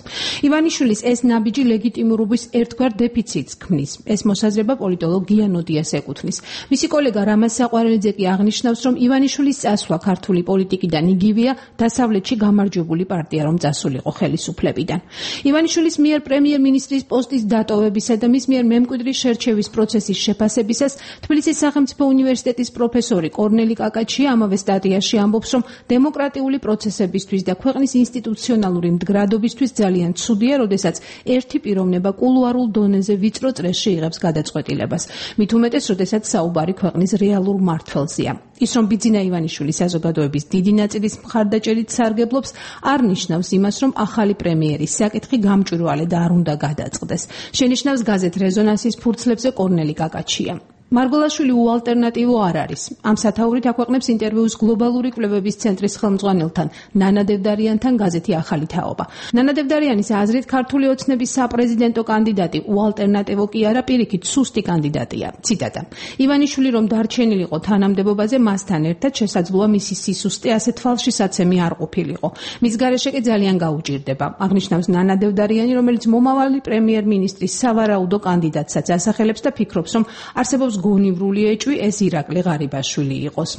ივანიშვილის ეს ნაბიჯი ლეგიტიმურობის ერთგვარ დეფიციტს ქმნის. ეს მოსაზრება პოლიტოლოგ გიანოდიას ეკუთვნის. მისი კოლეგა რამაზ საყვარელიძე კი აღნიშნავს, რომ ივანიშვილის წასვლა ქართული პოლიტიკიდან იგივეა დასავლეთში გამარჯვებული პარტია რომ წასულიყო ხელისუფლებიდან. ივანიშვილის მიერ პრემიერ-მინისტრის პოსტის დატოვებისა და მის მიერ მემკვიდრის შერჩევის პროცესის შეფასებისას თბილისის სახელმწიფო უნივერსიტეტის პროფესორი კორნელი კაკაჩია ამავე სტატიაში ამბობს, რომ დემოკრატიული პროცესებისთვის და ქვეყნის ინსტიტუციონალური მდგრადობისთვის ძალიან ცუდია, როდესაც ერთი პიროვნება კულუარულ დონეზე ვიწრო წრეში იღებს გადაწყვეტილებას. მით უმეტეს, როდესაც საუბარი ქვეყნის რეალურ მმართველზეა. ის, რომ ბიძინა ივანიშვილი საზოგადოების დიდი ნაწილის მხარდაჭერით სარგებლობს, არ ნიშნავს იმას, რომ ახალი პრემიერის საკითხი გამჭვირვალე და არ უნდა გადაწყდეს. შენიშნავს გაზეთ რეზონანსის ფურცლებზე კორნელი კაკაჩია. მარგოლაშვილი უალტერნატივო არ არის. ამ სათაურით აქვეყნებს ინტერვიუს გლობალური კვლევების ცენტრის ხელმძღვანელთან ნანა დევდარიანთან გაზეთი ახალი თაობა. ნანა დევდარიანის აზრით, ქართული ოცნების საპრეზიდენტო კანდიდატი უალტერნატივო კი არა, პირიქით სუსტი კანდიდატია. ციტატა: ივანიშვილი რომ დარჩენილიყო თანამდებობაზე, მასთან ერთად შესაძლოა მისი სისუსტე ასეთ ფალშისაცემი არ ყოფილიყო. მის გარეშე კი ძალიან გაუჭირდება. აღნიშნავს ნანა დევდარიანი, რომელიც მომავალი პრემიერ-მინისტრის სავარაუდო კანდიდატსაც ასახელებს და ფიქრობს, რომ არსებობს სახელმწიფოს გონივრული ეჭვი ეს ირაკლი ღარიბაშვილი იყოს.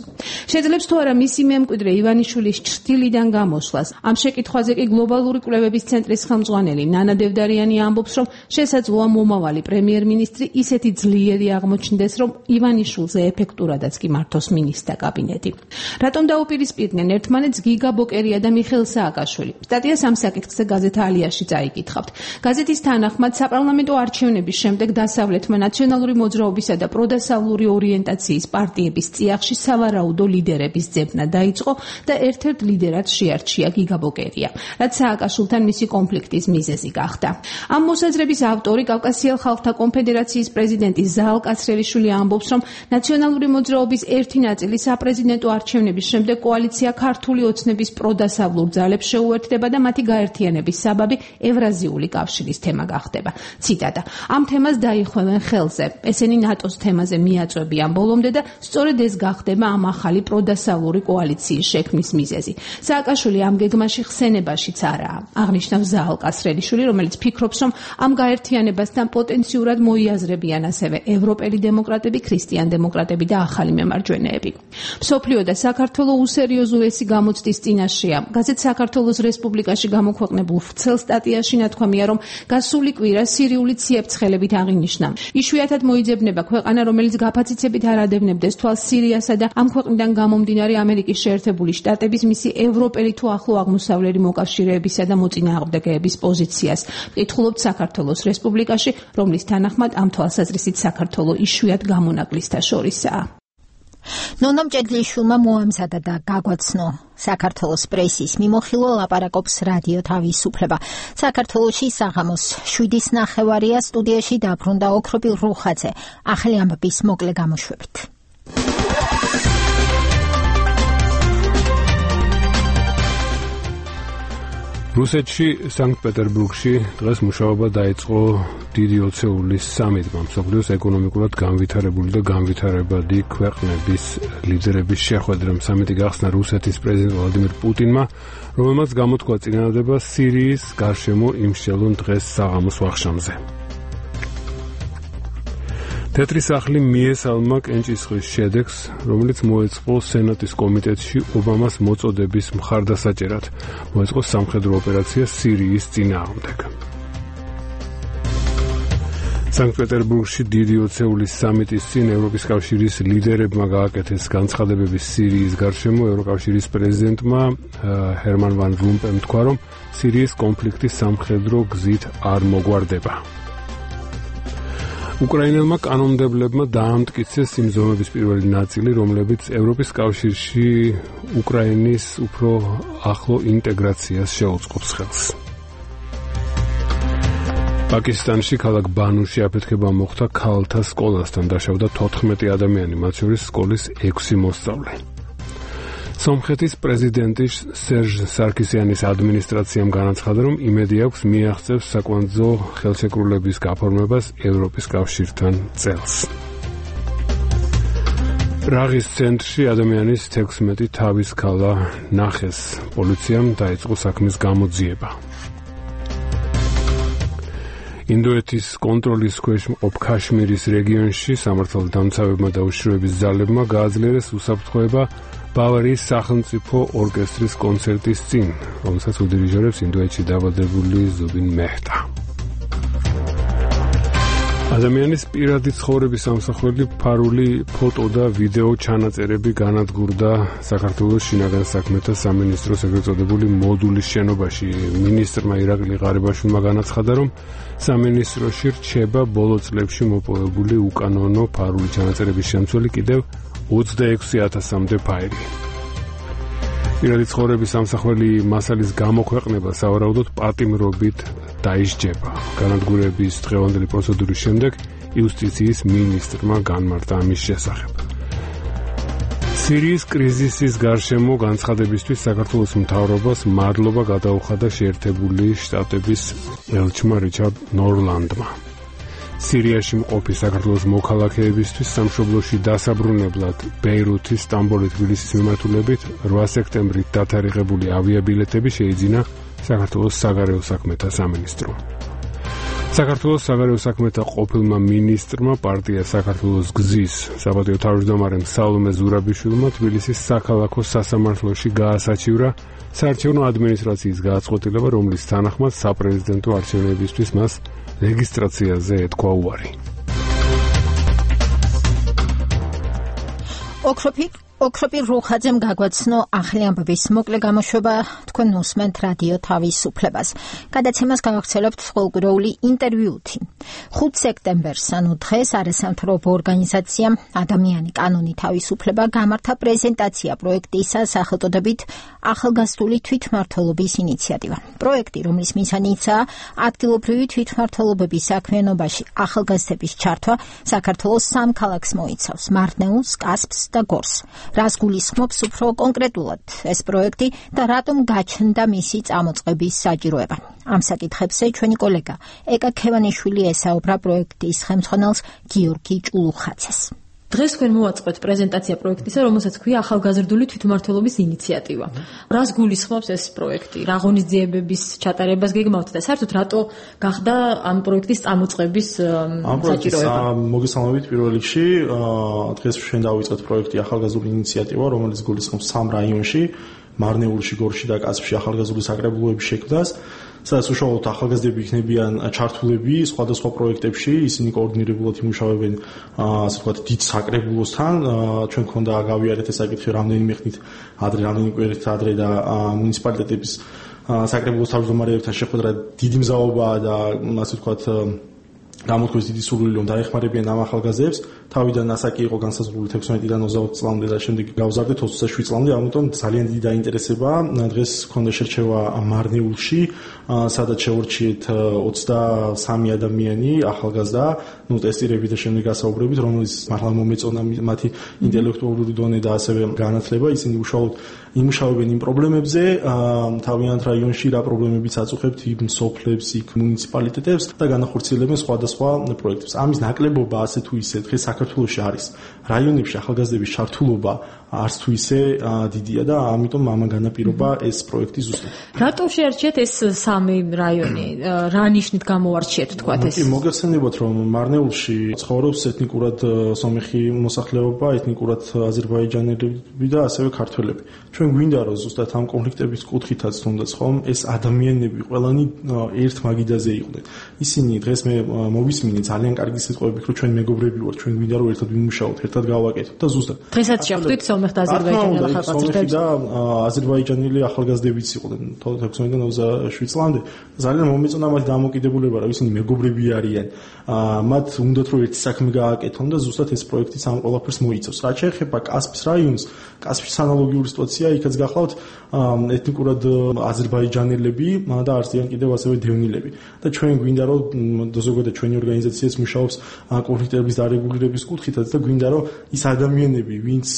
შეძლებს თუ არა მისი მემკვიდრე ივანიშვილის ჩრდილიდან გამოსვლას. ამ შეკითხვაზე კი გლობალური კვლევების ცენტრის ხელმძღვანელი ნანა დევდარიანი ამბობს, რომ შესაძლოა მომავალი პრემიერ-მინისტრი ისეთი ძლიერი აღმოჩნდეს, რომ ივანიშვილზე ეფექტურადაც კი მართოს მინისტრთა კაბინეტი. რატომ დაუპირისპირდნენ ერთმანეთს გიგა ბოკერია და მიხეილ სააკაშვილი? სტატიას ამ საკითხზე გაზეთ ალიაში წაიკითხავთ. გაზეთის თანახმად საპარლამენტო არჩევნების შემდეგ დასავლეთმა ნაციონალური მოძრაობისა და პროდასავლური ორიენტაციის პარტიების წიაღში სავარაუდო ლიდერების ძებნა დაიწყო და ერთ-ერთ ლიდერად შეარჩია გიგა ბოკერია, რაც სააკაშვილთან მისი კონფლიქტის მიზეზი გახდა. ამ მოსაზრების ავტორი კავკასიელ ხალხთა კონფედერაციის პრეზიდენტი ზაალ კაცრელიშვილი ამბობს, რომ ნაციონალური მოძრაობის ერთი ნაწილი საპრეზიდენტო არჩევნების შემდეგ კოალიცია ქართული ოცნების პროდასავლურ ძალებს შეუერთდება და მათი გაერთიანების საბაბი ევრაზიული კავშირის თემა გახდება. ციტატა: ამ თემას დაიხვევენ ხელზე. ესენი ნატოს თემაზე მიაწვევიან ბოლომდე და სწორედ ეს გახდება ამ ახალი პროდასავლური კოალიციის შექმნის მიზეზი. სააკაშვილი ამ გეგმაში ხსენებაშიც არაა. აღნიშნავს ზაალ კაცრელიშვილი, რომელიც ფიქრობს, რომ ამ გაერთიანებასთან პოტენციურად მოიაზრებიან ასევე ევროპელი დემოკრატები, ქრისტიან დემოკრატები და ახალი მემარჯვენეები. მსოფლიო და საქართველო უსერიოზულესი გამოცდის წინაშეა. გაზეთ საქართველოს რესპუბლიკაში გამოქვეყნებულ ვრცელ სტატიაში ნათქვამია, რომ გასული კვირა სირიული ციებ-ცხელებით აღინიშნა. იშვიათად მოიძებნება ქვეყანა, რომელიც გაფაციცებით არ ადევნებდეს თვალს სირიასა და ამ ქვეყნიდან გამომდინარე ამერიკის შეერთებული შტატების მისი ევროპელი თუ ახლო აღმოსავლელი მოკავშირეებისა და მოწინააღმდეგეების პოზიციას. ვკითხულობთ საქართველოს რესპუბლიკაში, რომლის თანახმად ამ თვალსაზრისით საქართველო იშვიათ გამონაკლისთა შორისაა. ნონამ ჭედლიშვილმა მოამზადა და გაგვაცნო საქართველოს პრესის მიმოხილვა ლაპარაკობს რადიო თავისუფლება. საქართველოში საღამოს შვიდის ნახევარია, სტუდიაში დაბრუნდა ოქრობილ რუხაძე. ახალი ამბების მოკლე გამოშვებით. რუსეთში სანქტ-პეტერბურგში დღეს მუშაობა დაიწყო დიდი ოცეულის სამიტმა. მსოფლიოს ეკონომიკურად განვითარებული და განვითარებადი ქვეყნების ლიდერების შეხვედრამ. სამიტი გახსნა რუსეთის პრეზიდენტ ვლადიმირ პუტინმა, რომელმაც გამოთქვა წინადადება სირიის გარშემო იმსჯელონ დღეს საღამოს ვახშამზე. თეთრი სახლი მიესალმა კენჭისყრის შედეგს, რომელიც მოეწყო სენატის კომიტეტში ობამას მოწოდების მხარდასაჭერად. მოეწყო სამხედრო ოპერაცია სირიის წინააღმდეგ. სანქტ-პეტერბურგში დიდი ოცეულის სამიტის წინ ევროპის კავშირის ლიდერებმა გააკეთეს განცხადებები სირიის გარშემო. ევროკავშირის პრეზიდენტმა ჰერმან ვან რომპემ თქვა, რომ სირიის კონფლიქტი სამხედრო გზით არ მოგვარდება. უკრაინელმა კანონმდებლებმა დაამტკიცეს იმ ზომების პირველი ნაწილი, რომლებიც ევროპის კავშირში უკრაინის უფრო ახლო ინტეგრაციას შეუწყობს ხელს. პაკისტანში ქალაქ ბანუში აფეთქება მოხდა ქალთა სკოლასთან, დაშავდა თოთხმეტი ადამიანი, მათ შორის სკოლის ექვსი მოსწავლე. სომხეთის პრეზიდენტის სერჟ სარქისიანის ადმინისტრაციამ განაცხადა, რომ იმედი აქვს მიაღწევს საკვანძო ხელშეკრულების გაფორმებას ევროპის კავშირთან წელს. პრაღის ცენტრში ადამიანის თექვსმეტი თავის ქალა ნახეს. პოლიციამ დაიწყო საქმის გამოძიება. ინდოეთის კონტროლის ქვეშ მყოფ ქაშმირის რეგიონში სამართალდამცავებმა და უშიშროების ძალებმა გააძლიერეს უსაფრთხოება ბავარიის სახელმწიფო ორკესტრის კონცერტის წინ, რომელსაც უდირიჟორებს ინდოეთში დაბადებული ზუბინ მეჰტა. ადამიანის პირადი ცხოვრების ამსახველი ფარული ფოტო და ვიდეო ჩანაწერები განადგურდა საქართველოს შინაგან საქმეთა სამინისტროს ეგრეთ წოდებული მოდულის შენობაში. მინისტრმა ირაკლი ღარიბაშვილმა განაცხადა, რომ სამინისტროში რჩება ბოლო წლებში მოპოვებული უკანონო ფარული ჩანაწერების შემცველი კიდევ ოცდაექვსი ათასამდე ფაილი. პირადი ცხოვრების ამსახველი მასალის გამოქვეყნება სავარაუდოდ პატიმრობით დაისჯება. განადგურების დღევანდელი პროცედურის შემდეგ იუსტიციის მინისტრმა განმარტა ამის შესახებ. სირიის კრიზისის გარშემო განცხადებისთვის საქართველოს მთავრობას მადლობა გადაუხადა შეერთებული შტატების ელჩმა რიჩარდ ნორლანდმა. სირიაში მყოფი საქართველოს მოქალაქეებისთვის სამშობლოში დასაბრუნებლად ბეირუთის, სტამბოლის, თბილისის მიმართულებით რვა სექტემბრით დათარიღებული ავიაბილეთები შეიძინა საქართველოს საგარეო საქმეთა სამინისტრომ. საქართველოს საგარეო საქმეთა ყოფილმა მინისტრმა პარტია საქართველოს გზის საპატიო თავმჯდომარემ სალომე ზურაბიშვილმა თბილისის საქალაქო სასამართლოში გაასაჩივრა საარჩევნო ადმინისტრაციის გააწყვეტილება, რომლის თანახმად საპრეზიდენტო არჩევნებისთვის მას რეგისტრაციაზე ეთქვა უარი. ოქროპი ოქროპი რუხაძემ გაგვაცნო ახალი ამბების მოკლე გამოშვება, თქვენ უსმენთ რადიო თავისუფლებას. გადაცემას გავახცელებთ ყოველკვირეული ინტერვიუთი. ხუთი სექტემბერს, ანუ დღეს, არასამთავრობო ორგანიზაციამ ადამიანი კანონი თავისუფლება გამართა პრეზენტაცია პროექტისა სახელწოდებით ახალგაზრდული თვითმმართველობის ინიციატივა. პროექტი, რომლის მიზანიცაა ადგილობრივი თვითმმართველობების საქმიანობაში ახალგაზრდების ჩართვა, საქართველოს სამ ქალაქს მოიცავს: მარნეულს, კასპს და გორს. რას გულისხმობს უფრო კონკრეტულად ეს პროექტი და რატომ გაჩნდა მისი წამოწყების საჭიროება? ამ საკითხებზე ჩვენი კოლეგა ეკა ქევანიშვილი ესაუბრა პროექტის ხელმძღვანელს გიორგი ჭულუხაცეს. დღეს თქვენ მოვაწყოთ პრეზენტაცია პროექტისა, რომელსაც ქვია ახალგაზრდული თვითმმართველობის ინიციატივა. რას გულისხმობს ეს პროექტი? რა ღონისძიებების ჩატარებას გეგმავთ და საერთოდ რატო გახდა ამ პროექტის წამოწყების საჭიროება? მოგესალმებით პირველ რიგში. დღეს ჩვენ დავიწყეთ პროექტი ახალგაზრდული ინიციატივა, რომელიც გულისხმობს სამ რაიონში, მარნეულში, გორში და კასპში ახალგაზრდული საკრებულოების შექმნას. სადაც უშუალოდ ახალგაზრდები იქნებიან ჩართულები სხვადასხვა პროექტებში, ისინი კოორდინირებულად იმუშავებენ, ასე ვთქვათ, დიდ საკრებულოსთან. ჩვენ გქონდა გავიარეთ ეს საკითხი რამდენიმე ხნით ადრე, რამდენიმე კვირით ადრე და მუნიციპალიტეტების საკრებულოს თავმჯდომარეებთან შეხვედრა დიდი მზაობაა და ასე ვთქვათ გამოთქვეს დიდი სურვილი, რომ დაეხმარებიან ამ ახალგაზრდებს. თავიდან ასაკი იყო განსაზღვრული თექვსმეტიდან ოცდაოთხ წლამდე და შემდეგ გავზარდეთ ოცდაშვიდ წლამდე, ამიტომ ძალიან დიდი დაინტერესება. დღეს გქონდა შერჩევა მარნეულში, სადაც შეურჩიეთ ოცდასამი ადამიანი ახალგაზრდა, ნუ ტესტირებით და შემდეგ გასაუბრებით, რომელიც მართლა მომეწონა მათი ინტელექტუალური დონე და ასევე განათლება. ისინი უშუალოდ იმუშავებენ იმ პრობლემებზე, თავიანთ რაიონში რა პრობლემებიც აწუხებთ იმ სოფლებს, იქ მუნიციპალიტეტებს და განახორციელებენ სხვადასხვა პროექტებს. ამის ნაკლებობა ასე თუ ისე დღეს საქართველოში არის რაიონებში ახალგაზრდების ჩართულობა არც თუ ისე დიდია და ამიტომ ამან განაპირობა ეს პროექტი ზუსტად. რატო შეარჩიეთ ეს სამი რაიონი? რა ნიშნით გამოარჩიეთ თქვათ ეს? მოგეხსენებათ, რომ მარნეულში ცხოვრობს ეთნიკურად სომეხი მოსახლეობა, ეთნიკურად აზერბაიჯანელები და ასევე ქართველები. ჩვენ გვინდა რომ ზუსტად ამ კონფლიქტების კუთხითაც თუნდაც ხომ ეს ადამიანები ყველანი ერთ მაგიდაზე იყვნენ. ისინი დღეს მე მოვისმინე ძალიან კარგი სიტყვები, რომ ჩვენ მეგობრები ვართ, ჩვენ გვინდა რომ ერთად ვიმუშაოთ, ერთად გავაკეთოთ და ზუსტად. დღესაც შეხვდით სომეხ და აზერბაიჯანელ ახალგაზრდებს და აზერბაიჯანელი ახალგაზრდებიც იყვნენ თექვსმეტიდან ოცდაშვიდ წლამდე. ძალიან მომეწონა მათი დამოკიდებულება, რომ ისინი მეგობრები არიან. მათ უნდათ რომ ერთი საქმე გააკეთონ და ზუსტად ეს პროექტიც ამ ყველაფერს მოიცავს. რაც შეეხება კასპის რაიონს, კასპის ანალოგიური სიტუაცია, იქაც გახლავთ ეთნიკურად აზერბაიჯანელები და არიან კიდევ ასევე დევნილები. და ჩვენ გვინდა რომ ზოგადად ჩვენი ორგანიზაციაც მუშაობს კონფლიქტების დარეგულირების კუთხითაც და გვინდა რომ ის ადამიანები, ვინც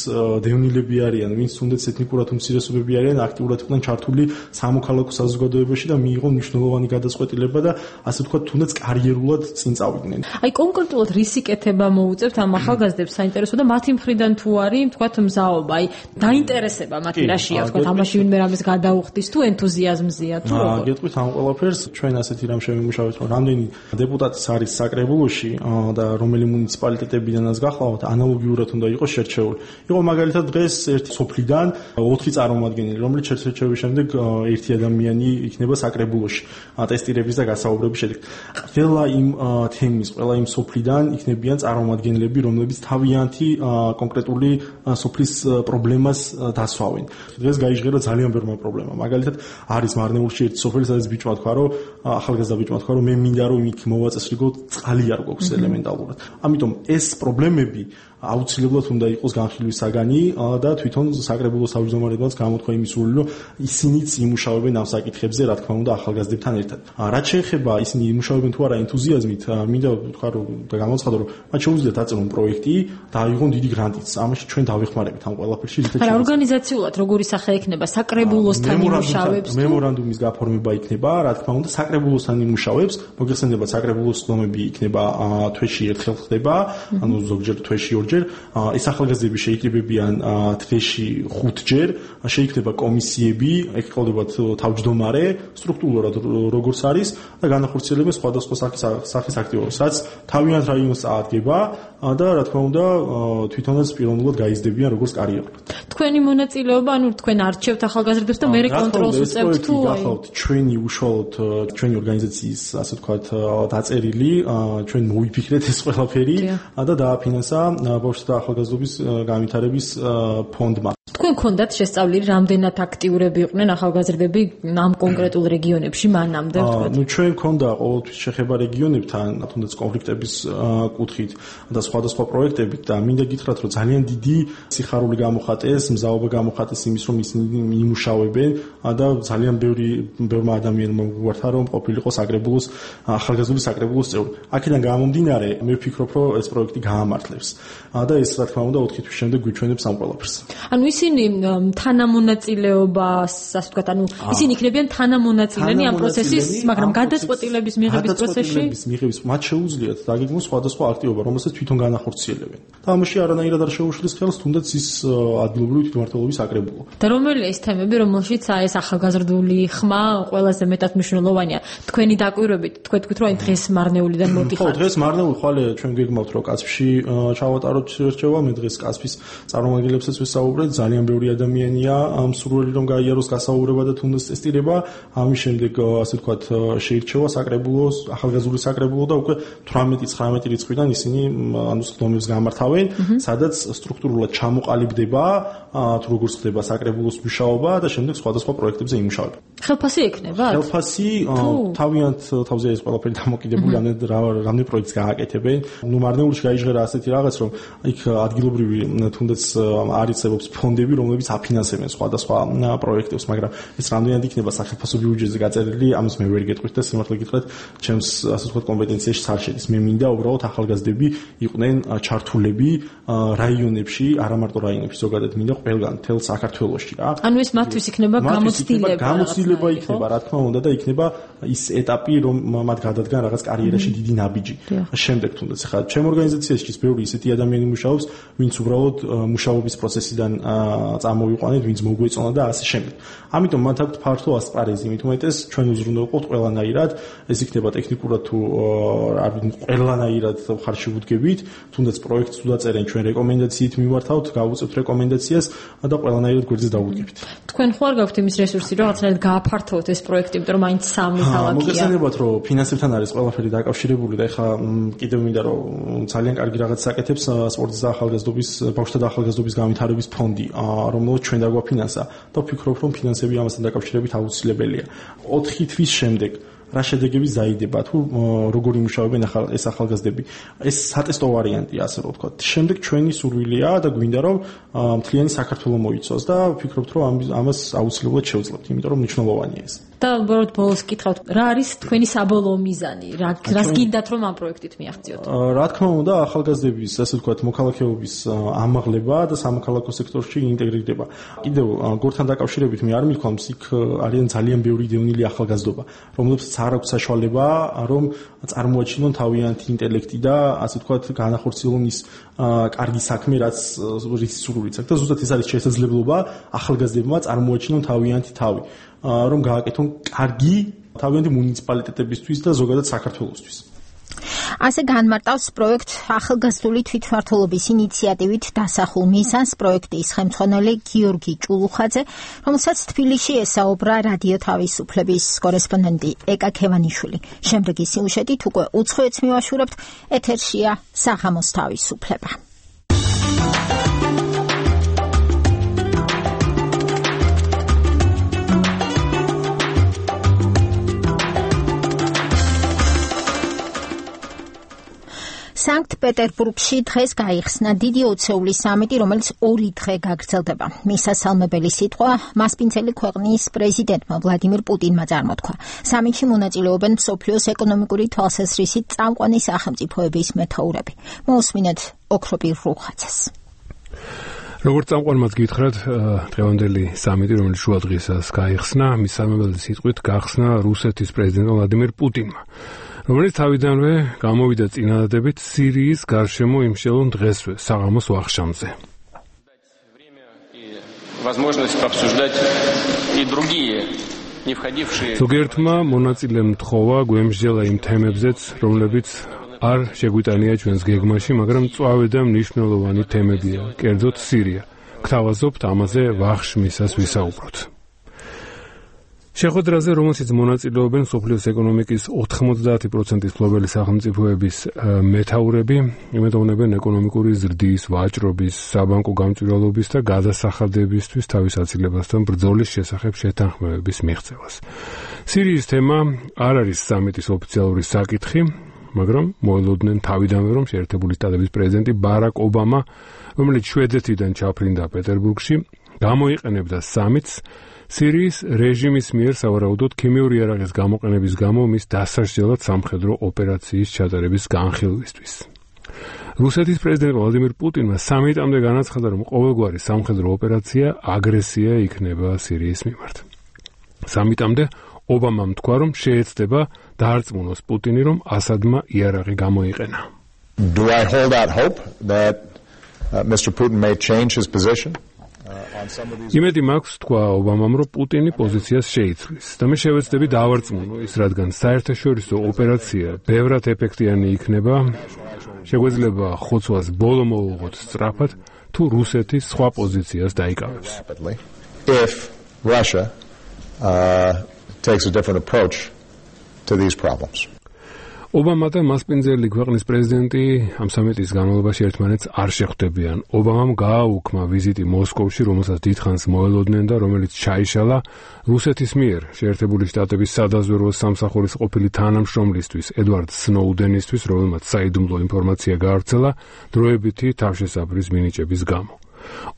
დევნილები არიან, ვინც თუნდაც ეთნიკურად უმცირესობები არიან, აქტიურად იყვნენ ჩართული სამოქალაქო საზოგადოებაში და მიიღონ მნიშვნელოვანი გადაწყვეტილება და ასე ვთქვათ, თუნდაც კარიერულად წინ წავიდნენ. აი კონკრეტულად რისი კეთება მოუწევთ ამ ახალგაზრდებს საინტერესო და მათი მხრიდან თუ არის, ვთქვათ, მზაობა, აი დაინტერესება მათი რაშია, ვთქვათ, ამაში ვინმე რამეს გადაუხდის თუ ენთუზიაზმზია თუ როგორ? გეტყვით ამ ყველაფერს, ჩვენ ასეთი რამ შევიმუშავეთ, რომ რამდენი დეპუტატის არის საკრებულოში და რომელი მუნიციპალიტეტებიდანაც გახლავთ, ანალოგიურად უნდა იყოს შერჩეული. იყო მაგალითად დღეს ერთი სოფლიდან ოთხი წარმომადგენელი, რომელიც შერჩევის შემდეგ ერთი ადამიანი იქნება საკრებულოში ტესტირების და გასაუბრების შედეგად. ყველა იმ თემის, ყველა იმ სოფლიდან იქნებიან წარმომადგენლები, რომლებიც თავიანთი კონკრეტული სოფლის პრობლემას დასვავენ. დღეს გაიჟღერა ძალიან ბევრი პრობლემა. მაგალითად არის მარნეულში ერთი სოფელი, სადაც ბიჭმა თქვა, რომ ახალგაზრდა ბიჭმა თქვა, რომ მე მინდა რომ იქ მოვაწესრიგოთ, წყალი არ გვაქვს ელემენტალურად. ამიტომ ეს პრობლემები აუცილებლად უნდა იყოს განხილვის საგანი და თვითონ საკრებულოს თავმჯდომარეებმაც გამოთქვა იმის სურვილი, რომ ისინიც იმუშავებენ ამ საკითხებზე, რა თქმა უნდა, ახალგაზრდებთან ერთად. რაც შეეხება ისინი იმუშავებენ თუ არა ენთუზიაზმით, მინდა ვთქვა რომ და გამოცხადო, რომ მათ შეუძლიათ აწარმოონ პროექტი და აიღონ დიდი გრანტიც. ამაში ჩვენ დავეხმარებით ამ ყველაფერში. რა ორგანიზაციულად როგორი სახე ექნება საკრებულოსთან იმუშავებს? მემორანდუმის გაფორმება იქნება, რა თქმა უნდა, საკრებულოსთან იმუშავებს. მოგეხსენებათ, საკრებულოს სხდომები იქნება თვეში ერთხელ ხდება, ანუ ზოგჯერ თვეში ორჯერ. ეს ახალგაზრდები შეიკრიბებიან თვეში ხუთჯერ, შეიქმნება კომისიები, ეგ ყოლებათ თავმჯდომარე, სტრუქტურულად როგორც არის და განახორციელებენ სხვადასხვა სახის აქტივობებს, რაც თავიანთ რაიონს წაადგება და რა თქმა უნდა თვითონაც პიროვნულად გაიზრდებიან როგორც კარიერულად. თქვენი მონაწილეობა, ანუ თქვენ არჩევთ ახალგაზრდებს და მე კონტროლს უწევთ თუ გახავთ ჩვენი უშუალოდ ჩვენი ორგანიზაციის ასე ვთქვათ დაწერილი, ჩვენ მოვიფიქრეთ ეს ყველაფერი და დააფინანსა ბავშვთა და ახალგაზრდობის განვითარების ფონდმა. თქვენ გქონდათ შესწავლილი, რამდენად აქტიურები იყვნენ ახალგაზრდები ამ კონკრეტულ რეგიონებში მანამდე, ვთქვათ? ნუ ჩვენ გქონდა ყოველთვის შეხება რეგიონებთან, თუნდაც კონფლიქტების კუთხით და სხვადასხვა პროექტებით და მინდა გითხრათ, რომ ძალიან დიდი სიხარული გამოხატეს, მზაობა გამოხატეს იმის, რომ ისინი იმუშავებენ და ძალიან ბევრი ბევრმა ადამიანმა გვართა, რომ ყოფილიყო საკრებულოს ახალგაზრდული საკრებულოს წევრი. აქედან გამომდინარე, მე ვფიქრობ, რომ ეს პროექტი გაამართლებს და ეს რა თქმა უნდა ოთხი თვის შემდეგ გვიჩვენებს ამ ყველაფერს. ანუ ისინი თანამონაწილეობას, ასე ვთქვათ, ანუ ისინი იქნებიან თანამონაწილენი ამ პროცესის, მაგრამ გადაწყვეტილების მიღების პროცესში გადაწყვეტილების მიღების მათ შეუძლიათ დაგეგმოს სხვადასხვა აქტივობა, რომელსაც თვითონ განახორციელებენ. და ამაში არანაირად არ შეუშლის ხელს, თუნდაც ის ადგილობრივი თვითმმართველობის საკრებულო. და რომელია ეს თემები, რომელშიც ეს ახალგაზრდული ხმა ყველაზე მეტად მნიშვნელოვანია? თქვენი დაკვირვებით, თქვენ თქვით, რომ დღეს მარნეულიდან მოდიხართ. ხო, დღეს მარნეული ხვალე ჩვენ გეგმავთ, რომ კაცფში ჩავატაროთ რჩევა, მე დღეს კაცფის წარმომადგენლებსაც ვისაუბრეთ, ძალიან ბევრი ადამიანია მსურველი რომ გაიაროს გასაუბრება და თუნდაც ტესტირება, ამის შემდეგ ასე ვთქვათ შეირჩევა საკრებულოს, ახალგაზრდული საკრებულო და უკვე თვრამეტი ცხრამეტი რიცხვიდან ისინი ანუ სხდომებს გამართავენ, სადაც სტრუქტურულად ჩამოყალიბდება თუ როგორ ხდება საკრებულოს მუშაობა და შემდეგ სხვადასხვა პროექტებზე იმუშავება. ხელფასი ექნება? ხელფასი თავიანთ თავზე ეს ყველაფერი დამოკიდებული რამდენი პროექტს გააკეთებენ. ნუ მარნეულში გაიჟღერა ასეთი რაღაც, რომ იქ ადგილობრივი თუნდაც არიცებობს ფონდები, რომლებიც აფინანსებენ სხვადასხვა პროექტებს, მაგრამ ეს რამდენად იქნება სახელმწიფო ბიუჯეტზე გაწერილი, ამას მე ვერ გეტყვით და სიმართლე გითხრათ, ჩემს ასე ვთქვათ კომპეტენციაში არ შედის. მე მინდა უბრალოდ ახალგაზრდები იყვნენ ჩართულები რაიონებში, არა მარტო რაიონებში, ზოგადად მინდა ყველგან მთელ საქართველოში რა. ანუ ეს მათთვის იქნება გამოცდილება. გამოცდილება იქნება, რა თქმა უნდა და იქნება ის ეტაპი, რომ მათ გადადგან რაღაც კარიერაში დიდი ნაბიჯი. შემდეგ თუნდაც ხა ჩემ ორგანიზაციაში ბევრი ისეთი ადამიანი მუშაობს, ვინც უბრალოდ მუშაობის პროცესიდან წამოვიყვანეთ, ვინც მოგვეწონა და ასე შემდეგ. ამიტომ მათ აქვთ ფართო ასპარეზი, მით უმეტეს ჩვენ უზრუნველყოფთ ყველანაირად, ეს იქნება ტექნიკურად თუ არ ვიცი ყველანაირად ხარში ვუდგებით, თუნდაც პროექტს უდაწერენ ჩვენ რეკომენდაციით მივართავთ, გავუწევთ რეკომენდაციას და ყველანაირად გვერდზე დავუდგებით. თქვენ ხო არ გაქვთ იმის რესურსი, რომ რაღაცნაირად გააფართოვოთ ეს პროექტი, იმიტომ რომ მაინც სამი ქალაქია. მოგესალმებათ, რომ ფინანსებთან არის ყველაფერი დაკავშირებული და ეხლა კიდევ მინდა რომ ძალიან კარგი რაღაც საკეთებს სპორტის და ახალგაზრდობის, ბავშვთა და ახალგაზრდობის განვითარების ფონდი, რომელიც ჩვენ დაგვაფინანსა და ვფიქრობ, რომ ფინანსები ამასთან დაკავშირებით აუცილებელია. ოთხი თვის შემდეგ რა შედეგები ზაიდება თუ როგორ იმუშავებენ ახალ ეს ახალგაზრდები. ეს სატესტო ვარიანტია, ასე რომ ვთქვათ. შემდეგ ჩვენი სურვილია და გვინდა რომ მთლიანი საქართველოს მოიცოს და ვფიქრობთ, რომ ამას აუცილებლად შევძლებთ, იმიტომ რომ მნიშვნელოვანია ეს. და უბრალოდ ბოლოს გითხავთ, რა არის თქვენი საბოლოო მიზანი? რა რას გინდათ რომ ამ პროექტით მიაღწიოთ? რა თქმა უნდა, ახალგაზრდების, ასე ვთქვათ, მოქალაქეობის ამაღლება და სამოქალაქო სექტორში ინტეგრირება. კიდევ გორთან დაკავშირებით მე არ მithქვამს, იქ არიან ძალიან ბევრი დევნილი ახალგაზრდობა, რომლებსაც არ აქვს საშუალება, რომ წარმოაჩინონ თავიანთი ინტელექტი და ასე ვთქვათ, განახორციელონ ის კარგი საქმე, რაც რის სურვილიც აქვს და ზუსტად ეს არის შესაძლებლობა ახალგაზრდებმა წარმოაჩინონ თავიანთი თავი, რომ გააკეთონ კარგი თავიანთი მუნიციპალიტეტებისთვის და ზოგადად საქართველოსთვის. ასე განმარტავს პროექტ ახალგაზრდული თვითმმართველობის ინიციატივით დასახულ მიზანს პროექტის ხელმძღვანელი გიორგი ჭულუხაძე, რომელსაც თბილისში ესაუბრა რადიო თავისუფლების კორესპონდენტი ეკა ქევანიშვილი. შემდეგი სიუჟეტით უკვე უცხოეთს მივაშურებთ, ეთერშია საღამოს თავისუფლება. სანქტ-პეტერბურგში დღეს გაიხსნა დიდი ოცეულის სამიტი, რომელიც ორი დღე გაგრძელდება. მისასალმებელი სიტყვა მასპინძელი ქვეყნის პრეზიდენტმა ვლადიმირ პუტინმა წარმოთქვა. სამიტში მონაწილეობენ მსოფლიოს ეკონომიკური თვალსაზრისით წამყვანი სახელმწიფოების მეთაურები. მოусმინეთ ოქროპირ რუხაძეს. როგორც წამყვანმაც გითხრათ, დღევანდელი სამიტი, რომელიც შუადღესაც გაიხსნა, მისასალმებელი სიტყვით გახსნა რუსეთის პრეზიდენტმა ვლადიმირ პუტინმა. რომელიც თავიდანვე გამოვიდა წინადადებით სირიის გარშემო იმშელონ დღესვე საღამოს ვახშამზე. ზოგიერთმა მონაწილემ თხოვა გვემსჯელა იმ თემებზეც, რომლებიც არ შეგვიტანია ჩვენს გეგმაში, მაგრამ მწვავე და მნიშვნელოვანი თემებია, კერძოდ სირია. გთავაზობთ ამაზე ვახშმისას ვისაუბროთ. შეხვედრაზე, რომელშიც მონაწილეობენ მსოფლიოს ეკონომიკის ოთხმოცდაათი პროცენტის მფლობელი სახელმწიფოების მეთაურები, იმედოვნებენ ეკონომიკური ზრდის, ვაჭრობის, საბანკო გამჭვირვალობის და გადასახადებისთვის თავის აცილებასთან ბრძოლის შესახებ შეთანხმებების მიღწევას. სირიის თემა არ არის სამიტის ოფიციალური საკითხი, მაგრამ მოელოდნენ თავიდანვე, რომ შეერთებული შტატების პრეზიდენტი ბარაკ ობამა, რომელიც შვედეთიდან ჩაფრინდა პეტერბურგში, გამოიყენებდა სამიტს სირიის რეჟიმის მიერ სავარაუდოდ ქიმიური იარაღის გამოყენების გამო მის დასაშლელად სამხედრო ოპერაციის ჩატარების განხილვისთვის. რუსეთის პრეზიდენტ ვლადიმირ პუტინმა სამიტამდე განაცხადა, რომ ყოველგვარი სამხედრო ოპერაცია აგრესია იქნება სირიის მიმართ. სამიტამდე ობამამ თქვა, რომ შეეცდება დაარწმუნოს პუტინი, რომ ასადმა იარაღი გამოიყენა. Do I hold out hope that uh, Mister Putin may change his position? იმედი მაქვს, თქვა ობამამ, რომ პუტინი პოზიციას შეიცვლის და მე შევეცდები დავარწმუნო ის, რადგან საერთაშორისო ოპერაცია ბევრად ეფექტიანი იქნება, შეგვეძლება ხოცვას ბოლო მოუღოთ სწრაფად, თუ რუსეთის სხვა პოზიციას დაიკავებს. If Russia uh, takes a different approach to these problems. ობამა და მასპინძელი ქვეყნის პრეზიდენტი ამ სამიტის განმავლობაში ერთმანეთს არ შეხვდებიან. ობამამ გააუქმა ვიზიტი მოსკოვში, რომელსაც დიდხანს მოელოდნენ და რომელიც ჩაიშალა რუსეთის მიერ შეერთებული შტატების სადაზვერვო სამსახურის ყოფილი თანამშრომლისთვის, ედვარდ სნოუდენისთვის, რომელმაც საიდუმლო ინფორმაცია გაავრცელა დროებითი თავშესაფრის მინიჭების გამო.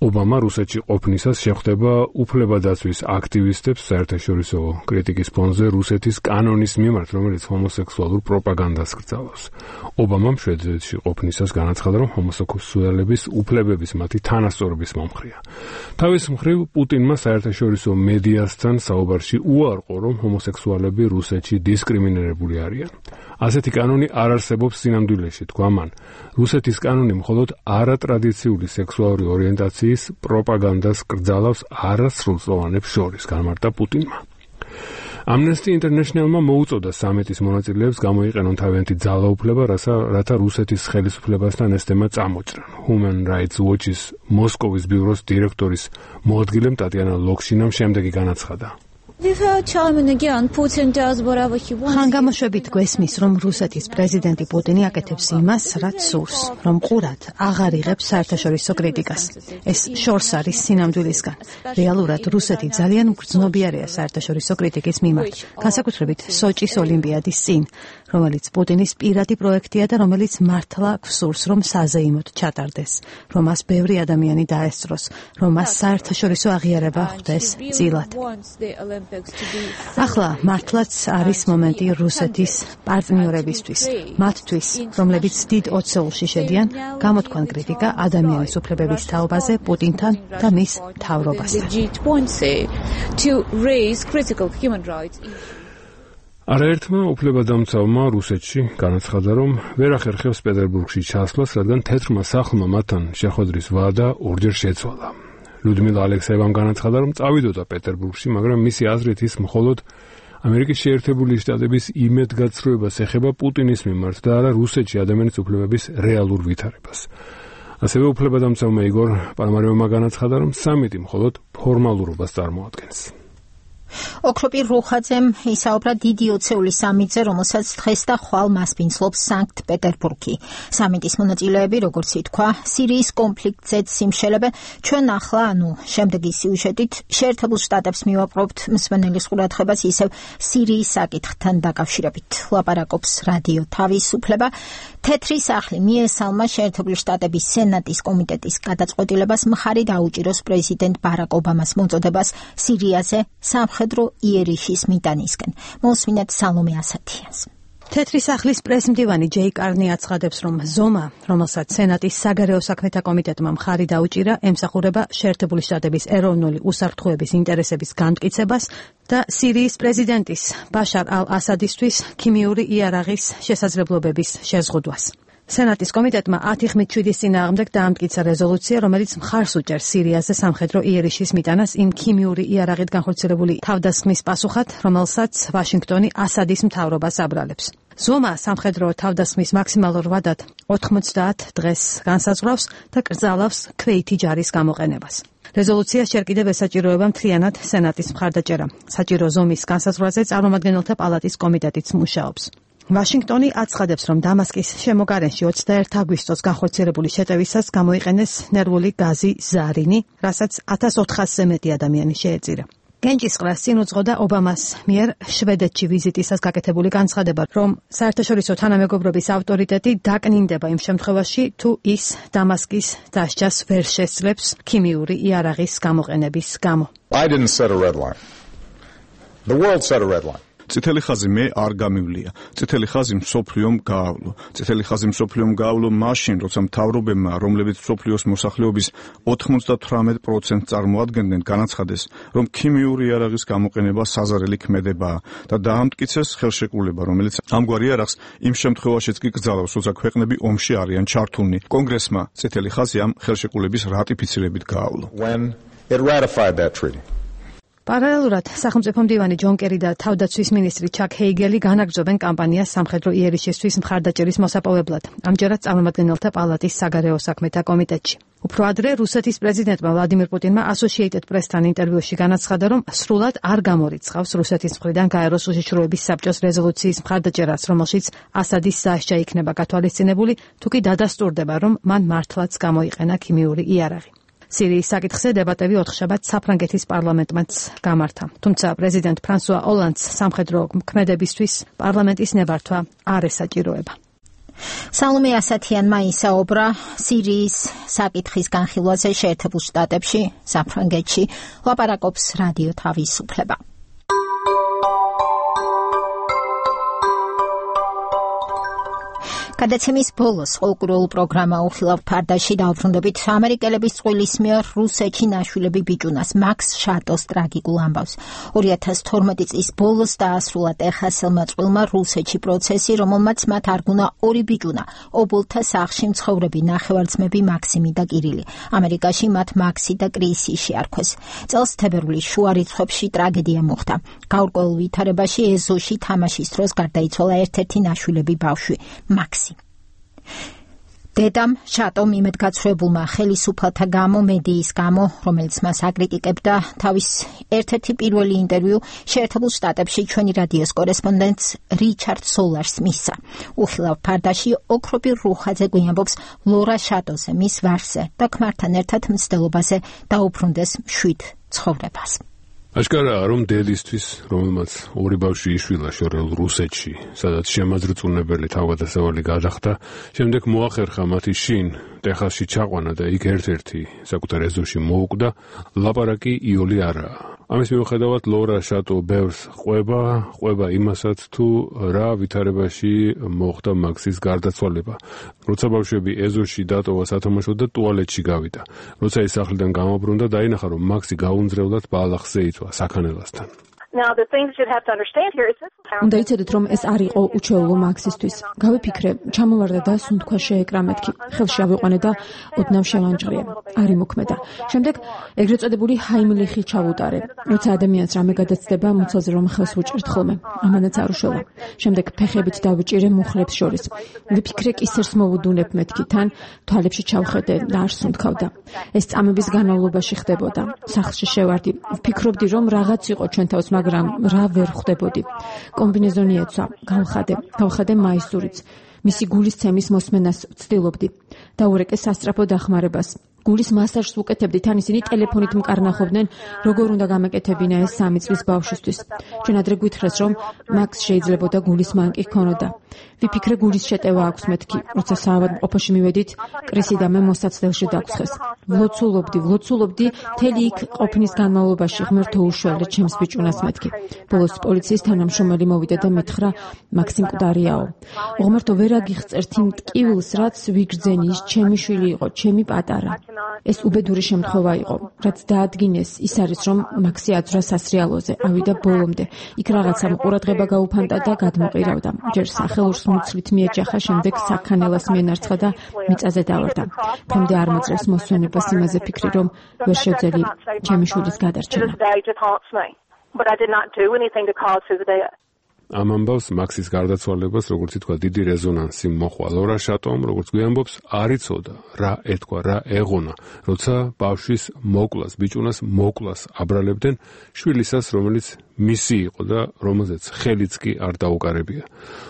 ობამა რუსეთში ყოფნისას შეხვდება უფლებადაცვის აქტივისტებს საერთაშორისო კრიტიკის ფონზე რუსეთის კანონის მიმართ, რომელიც ჰომოსექსუალურ პროპაგანდას კრძალავს. ობამამ შვედეთში ყოფნისას განაცხადა, რომ ჰომოსექსუალების უფლებების მათი თანასწორობის მომხრეა. თავის მხრივ პუტინმა საერთაშორისო მედიასთან საუბარში უარყო, რომ ჰომოსექსუალები რუსეთში დისკრიმინირებული არიან. ასეთი კანონი არ არსებობს სინამდვილეში, თქვა მან. რუსეთის კანონი მხოლოდ არატრადიციული სექსუალური ორიენტაციის პროპაგანდას კრძალავს არასრულწლოვანებს შორის, განმარტა პუტინმა. Amnesty International-მა მოუწოდა სამიტის მონაწილეებს გამოიყენონ თავიანთი ძალაუფლება, რათა რუსეთის ხელისუფლებასთან ეს თემა წამოჭრან. Human Rights Watch-ის მოსკოვის ბიუროს დირექტორის მოადგილემ ტატიანა ლოქშინამ შემდეგი განაცხადა. ხანგამოშვებით გვესმის, რომ რუსეთის პრეზიდენტი პუტინი აკეთებს იმას, რაც სურს, რომ ყურად აღარ იღებს საერთაშორისო კრიტიკას. ეს შორს არის სინამდვილისგან. რეალურად რუსეთი ძალიან მგრძნობიარეა საერთაშორისო კრიტიკის მიმართ, განსაკუთრებით სოჭის ოლიმპიადის წინ, რომელიც პუტინის პირადი პროექტია და რომელიც მართლა გვსურს, რომ საზეიმოდ ჩატარდეს, რომ მას ბევრი ადამიანი დაესწროს, რომ მას საერთაშორისო აღიარება ხვდეს წილად. ახლა მართლაც არის მომენტი რუსეთის პარტნიორებისთვის, მათთვის, რომლებიც დიდ ოცეულში შედიან, გამოთქვან კრიტიკა ადამიანის უფლებების თაობაზე პუტინთან და მის მთავრობასთან. არაერთმა უფლებადამცავმა რუსეთში განაცხადა, რომ ვერ ახერხებს პეტერბურგში ჩასვლას, რადგან თეთრმა სახლმა მათთან შეხვედრის ვადა ორჯერ შეცვალა. ლუდმილა ალექსეევამ განაცხადა, რომ წავიდოდა პეტერბურგში, მაგრამ მისი აზრით ის მხოლოდ ამერიკის შეერთებული შტატების იმედგაცრუებას ეხება პუტინის მიმართ და არა რუსეთში ადამიანის უფლებების რეალურ ვითარებას. ასევე უფლებადამცავმა იგორ პანამარევმა განაცხადა, რომ სამიტი მხოლოდ ფორმალურობას წარმოადგენს. ოქროპირ რუხაძემ ისაუბრა დიდი ოცეულის სამიტზე, რომელსაც დღეს და ხვალ მასპინძლობს სანქტ-პეტერბურგი. სამიტის მონაწილეები, როგორც ითქვა, სირიის კონფლიქტზეც სიმშელებენ, ჩვენ ახლა, ანუ შემდეგი სიუჟეტით, შეერთებულ შტატებს მივაპყრობთ მსმენელის ყურადღებას ისევ სირიის საკითხთან დაკავშირებით. ლაპარაკობს რადიო თავისუფლება. თეთრი სახლი მიესალმა შეერთებული შტატების სენატის კომიტეტის გადაწყვეტილებას მხარი დაუჭიროს პრეზიდენტ ბარაკ ობამას მოწოდებას სირიაზე სამხედრო იერიშის მიტანისკენ. მოსმინეთ სალომე ასათიანს. თეთრი სახლის პრესმდივანი ჯეი კარნი აცხადებს, რომ ზომა, რომელსაც სენატის საგარეო საქმეთა კომიტეტმა მხარი დაუჭირა, ემსახურება შეერთებული შტატების ეროვნული უსაფრთხოების ინტერესების განმტკიცებას და სირიის პრეზიდენტის ბაშარ ალ-ასადისთვის ქიმიური იარაღის შესაძლებლობების შეზღუდვას. სენატის კომიტეტმა ათი ხმით შვიდის წინააღმდეგ დაამტკიცა რეზოლუცია, რომელიც მხარს უჭერს სირიაზე სამხედრო იერიშის მიტანას იმ ქიმიური იარაღით განხორციელებული თავდასხმის პასუხად, რომელსაც ვაშინგტონი ასადის მთავრობას აბრალებს. ზომა სამხედრო თავდასხმის მაქსიმალურ ვადად ოთხმოცდაათ დღეს განსაზღვრავს და კრძალავს ქვეითი ჯარის გამოყენებას. რეზოლუციას ჯერ კიდევ ესაჭიროება მთლიანად სენატის მხარდაჭერა. საჭირო ზომის განსაზღვრაზე წარმომადგენელთა პალატის კომიტეტიც მუშაობს. ვაშინგტონი აცხადებს, რომ დამასკის შემოგარენში ოცდაერთი აგვისტოს განხორციელებული შეტევისას გამოიყენეს ნერვული გაზი ზარინი, რასაც ათას ოთხასზე მეტი ადამიანი შეეწირა. გენჯისყრას წინ უძღოდა ობამას მიერ შვედეთში ვიზიტისას გაკეთებული განცხადება, რომ საერთაშორისო თანამეგობრობის ავტორიტეტი დაკნინდება იმ შემთხვევაში, თუ ის დამასკის დასჯას ვერ შესძლებს ქიმიური იარაღის გამოყენების გამო. I didn't set a red line. The world set a red line. წითელი ხაზი მე არ გამივლია. წითელი ხაზი მსოფლიომ გაავლო. წითელი ხაზი მსოფლიომ გაავლო მაშინ, როცა მთავრობებმა, რომლებიც მსოფლიოს მოსახლეობის ოცდათვრამეტ პროცენტს წარმოადგენდნენ, განაცხადეს, რომ ქიმიური იარაღის გამოყენება საზარელი ქმედებაა და დაამტკიცეს ხელშეკრულება, რომელიც ამგვარი იარაღს იმ შემთხვევაშიც კი კრძალავს, როცა ქვეყნები ომში არიან ჩართულნი. კონგრესმა წითელი ხაზი ამ ხელშეკრულების რატიფიცირებით გაავლო. When it ratified that treaty. პარალელურად სახელმწიფო მდივანი ჯონ კერი და თავდაცვის მინისტრი ჩაკ ჰეიგელი განაგრძობენ კამპანიას სამხედრო იერიშისთვის მხარდაჭერის მოსაპოვებლად. ამჯერად წარმომადგენელთა პალატის საგარეო საქმეთა კომიტეტში. უფრო ადრე რუსეთის პრეზიდენტმა ვლადიმირ პუტინმა Associated Press-თან ინტერვიუში განაცხადა, რომ სრულად არ გამორიცხავს რუსეთის მხრიდან გაეროს უშიშროების საბჭოს რეზოლუციის მხარდაჭერას, რომელშიც ასადის დასჯა იქნება გათვალისწინებული, თუ კი დადასტურდება, რომ მან მართლაც გამოიყენა ქიმიური იარაღი. სირიის საკითხზე დებატები ოთხშაბათს საფრანგეთის პარლამენტმაც გამართა. თუმცა პრეზიდენტ ფრანსუა ოლანდს სამხედრო ქმედებისთვის პარლამენტის ნებართვა არ ესაჭიროება. სალომე ასათიანმა ისაუბრა სირიის საკითხის განხილვაზე შეერთებულ შტატებში, საფრანგეთში, ლაპარაკობს რადიო თავისუფლება. გადაცემის ბოლოს ყოლკურულ პროგრამა უხილავ ფარდაში დაუბრუნდებით ამერიკელების წყვილის მიერ რუსეთში ნაშვილები ბიჭუნას მაქს შატოს ტრაგიკულ ამბავს. ორი ათას თორმეტი წლის ბოლოს დაასრულა ტეხასელმა წყვილმა რუსეთში პროცესი, რომელმაც მათ არგუნა ორი ბიჭუნა, ობოლთა სახლში მცხოვრები ნახევარძმები მაქსიმი და კირილი. ამერიკაში მათ მაქსი და კრისი შეარქვეს. წელს თებერვლის შუა რიცხვებში ტრაგედია მოხდა. გაურკვეველ ვითარებაში ეზოში თამაშის დროს გარდაიცვალა ერთ-ერთი ნაშვილები ბავშვი, მაქსი. დედამ შატომ იმედგაცრუებულმა ხელისუფალთა გამო, მედიის გამო, რომელიც მას აკრიტიკებდა, თავის ერთ-ერთი პირველი ინტერვიუ შეერთებულ შტატებში ჩვენი რადიოს კორესპონდენტს რიჩარდ სოლარს მისცა. უხილავ ფარდაში ოქროპირ რუხაძე გვიამბობს ლორა შატოზე, მის ვარსზე და ქმართან ერთად მცდელობაზე დაუბრუნდეს მშვიდ ცხოვრებას. აშკარაა, რომ დედისთვის, რომელმაც ორი ბავშვი იშვილა შორეულ რუსეთში, სადაც შემაძრწუნებელი თავგადასავალი გადახდა, შემდეგ მოახერხა მათი შინ ტეხასში ჩაყვანა და იქ ერთ-ერთი საკუთარ ეზოში მოუკვდა, ლაპარაკი იოლი არაა. ამის მიუხედავად ლორა შატო ბევრს ყვება, ყვება იმასაც, თუ რა ვითარებაში მოხდა მაქსის გარდაცვალება. როცა ბავშვები ეზოში დატოვა სათამაშოდ და ტუალეტში გავიდა. როცა ის სახლიდან გამობრუნდა, დაინახა, რომ მაქსი გაუნძრევლად ბალახზე იწვა საქანელასთან. უნდა იცოდეთ, რომ ეს არ იყო უჩვეულო მაქსისთვის. გავიფიქრე, ჩამოვარდა და სუნთქვა შეეკრა მეთქი. ხელში ავიყვანე და ოდნავ შევანჭრიე. არ იმოქმედა. შემდეგ ეგრეთ წოდებული ჰაიმლიხი ჩავუტარე. როცა ადამიანს რამე გადაცდება, მუცელზე რომ ხელს უჭერთ ხოლმე. ამანაც არ უშველა. შემდეგ ფეხებით დავიჭირე მუხლებს შორის. ვიფიქრე, კისერს მოვუდუნებ მეთქი, თან თვალებში ჩავხედე და არ სუნთქავდა. ეს წამების განმავლობაში ხდებოდა. სახლში შევარდი. ვფიქრობდი, რომ რაღაც იყო ჩვენ თავს, მაგრამ რა ვერ ხვდებოდი. კომბინეზონი ეცვა, გავხადე, გავხადე მაისურიც. მისი გულის ცემის მოსმენას ვცდილობდი. დაურეკე სასწრაფო დახმარებას. გულის მასაჟს ვუკეთებდი, თან ისინი ტელეფონით მკარნახობდნენ, როგორ უნდა გამეკეთებინა ეს სამი წლის ბავშვისთვის. ჩვენ ადრე გვითხრეს, რომ მაქს შეიძლებოდა გულის მანკი ჰქონოდა. ვიფიქრე გულის შეტევა აქვს მეთქი, როცა საავადმყოფოში მივედით, კრისი და მე მოსაცდელში დაგხვსეს. ვლოცულობდი, ვლოცულობდი, მთელი იქ ყოფნის განმავლობაში ღმერთო უშველე ჩემს ბიჭუნას მეთქი. ბოლოს პოლიციის თანამშრომელი მოვიდა და მითხრა, მაქსიმ მკვდარიაო. ღმერთო ვერ აგიხწერთ იმ ტკივილს, რაც ვიგრძენი, ის ჩემი შვილი იყო, ჩემი პატარა. ეს უბედური შემთხვევა იყო, რაც დაადგინეს, ის არის რომ მაქსი აძვრა სასრიალოზე, ავიდა ბოლომდე. იქ რაღაცა ყურადღება გაუფანტა და გადმოყირავდა. ჯერ სახელურს მუცლით მიეჯახა, შემდეგ საქანელას მიენარცხა და მიწაზე დავარდა. დღემდე არ მოწევს მოსვენებას იმაზე ფიქრი, რომ ვერ შევძელი ჩემი შვილის გადარჩენა. But I did not do anything to cause his death. ამ ამბავს მაქსის გარდაცვალებას, როგორც ითქვა, დიდი რეზონანსი მოჰყვა. ლორა შატომ, როგორც გვიამბობს, არ იცოდა რა ეთქვა, რა ეღონა, როცა ბავშვის მოკლას, ბიჭუნას მოკლას აბრალებდნენ შვილისას, რომელიც მისი იყო და რომელზეც ხელიც კი არ დაუკარებია.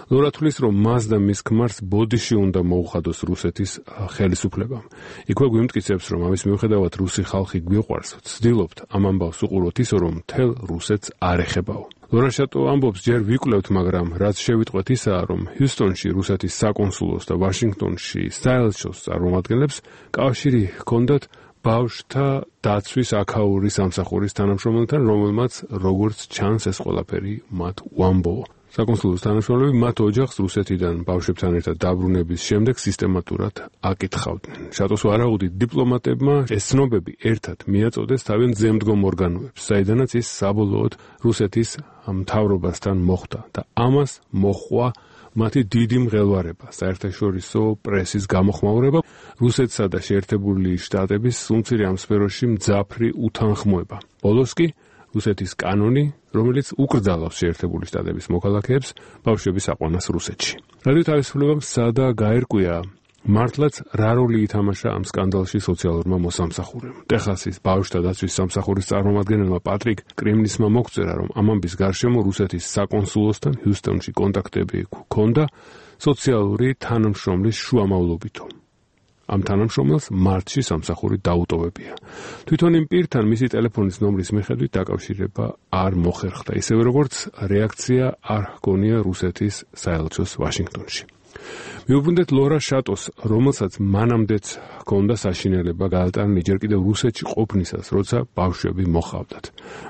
ლორა თვლის, რომ მას და მის ქმარს ბოდიში უნდა მოუხადოს რუსეთის ხელისუფლებამ. იქვე გვიმტკიცებს, რომ ამის მიუხედავად რუსი ხალხი გვიყვარს, ვცდილობთ ამ ამბავს უყუროთ ისე, რომ მთელ რუსეთს არ ეხებაო. ლორა შატო ამბობს, ჯერ ვიკვლევთ, მაგრამ რაც შევიტყვეთ ისაა, რომ ჰიუსტონში რუსეთის საკონსულოს და ვაშინგტონში საელჩოს წარმომადგენლებს კავშირი ჰქონდათ ბავშვთა დაცვის აქაური სამსახურის თანამშრომელთან, რომელმაც როგორც ჩანს ეს ყველაფერი მათ უამბოა. საკონსულოს თანამშრომლები მათ ოჯახს რუსეთიდან ბავშვებთან ერთად დაბრუნების შემდეგ სისტემატურად აკითხავდნენ. შატოს ვარაუდით დიპლომატებმა ეს ცნობები ერთად მიაწოდეს თავიანთ ზემდგომ ორგანოებს, საიდანაც ის საბოლოოდ რუსეთის მთავრობასთან მოხვდა და ამას მოჰყვა მათი დიდი მღელვარება, საერთაშორისო პრესის გამოხმაურება, რუსეთსა და შეერთებული შტატების სულმცირე ამ სფეროში მძაფრი უთანხმოება. ბოლოს კი რუსეთის კანონი, რომელიც უკრძალავს შეერთებული შტატების მოქალაქეებს ბავშვების აყვანას რუსეთში. რადიო თავისუფლებამ სადა გაერკვია, მართლაც რა როლი ითამაშა ამ სკანდალში სოციალურმა მოსამსახურემ. ტეხასის ბავშვთა დაცვის სამსახურის წარმომადგენელმა პატრიკ კრიმნისმა მოგწერა, რომ ამ ამბის გარშემო რუსეთის საკონსულოსთან ჰიუსტონში კონტაქტები ჰქონდა სოციალური თანამშრომლის შუამავლობითო. ამ თანამშრომელს მარტში სამსახური დაუტოვებია. თვითონ იმ პირთან მისი ტელეფონის ნომრის მიხედვით დაკავშირება არ მოხერხდა, ისევე როგორც რეაქცია არ ჰქონია რუსეთის საელჩოს ვაშინგტონში. მიუბრუნდეთ ლორა შატოს, რომელსაც მანამდეც ჰქონდა საშინელება გაატანა ჯერ კიდევ რუსეთში ყოფნისას, როცა ბავშვები მოჰყავდათ.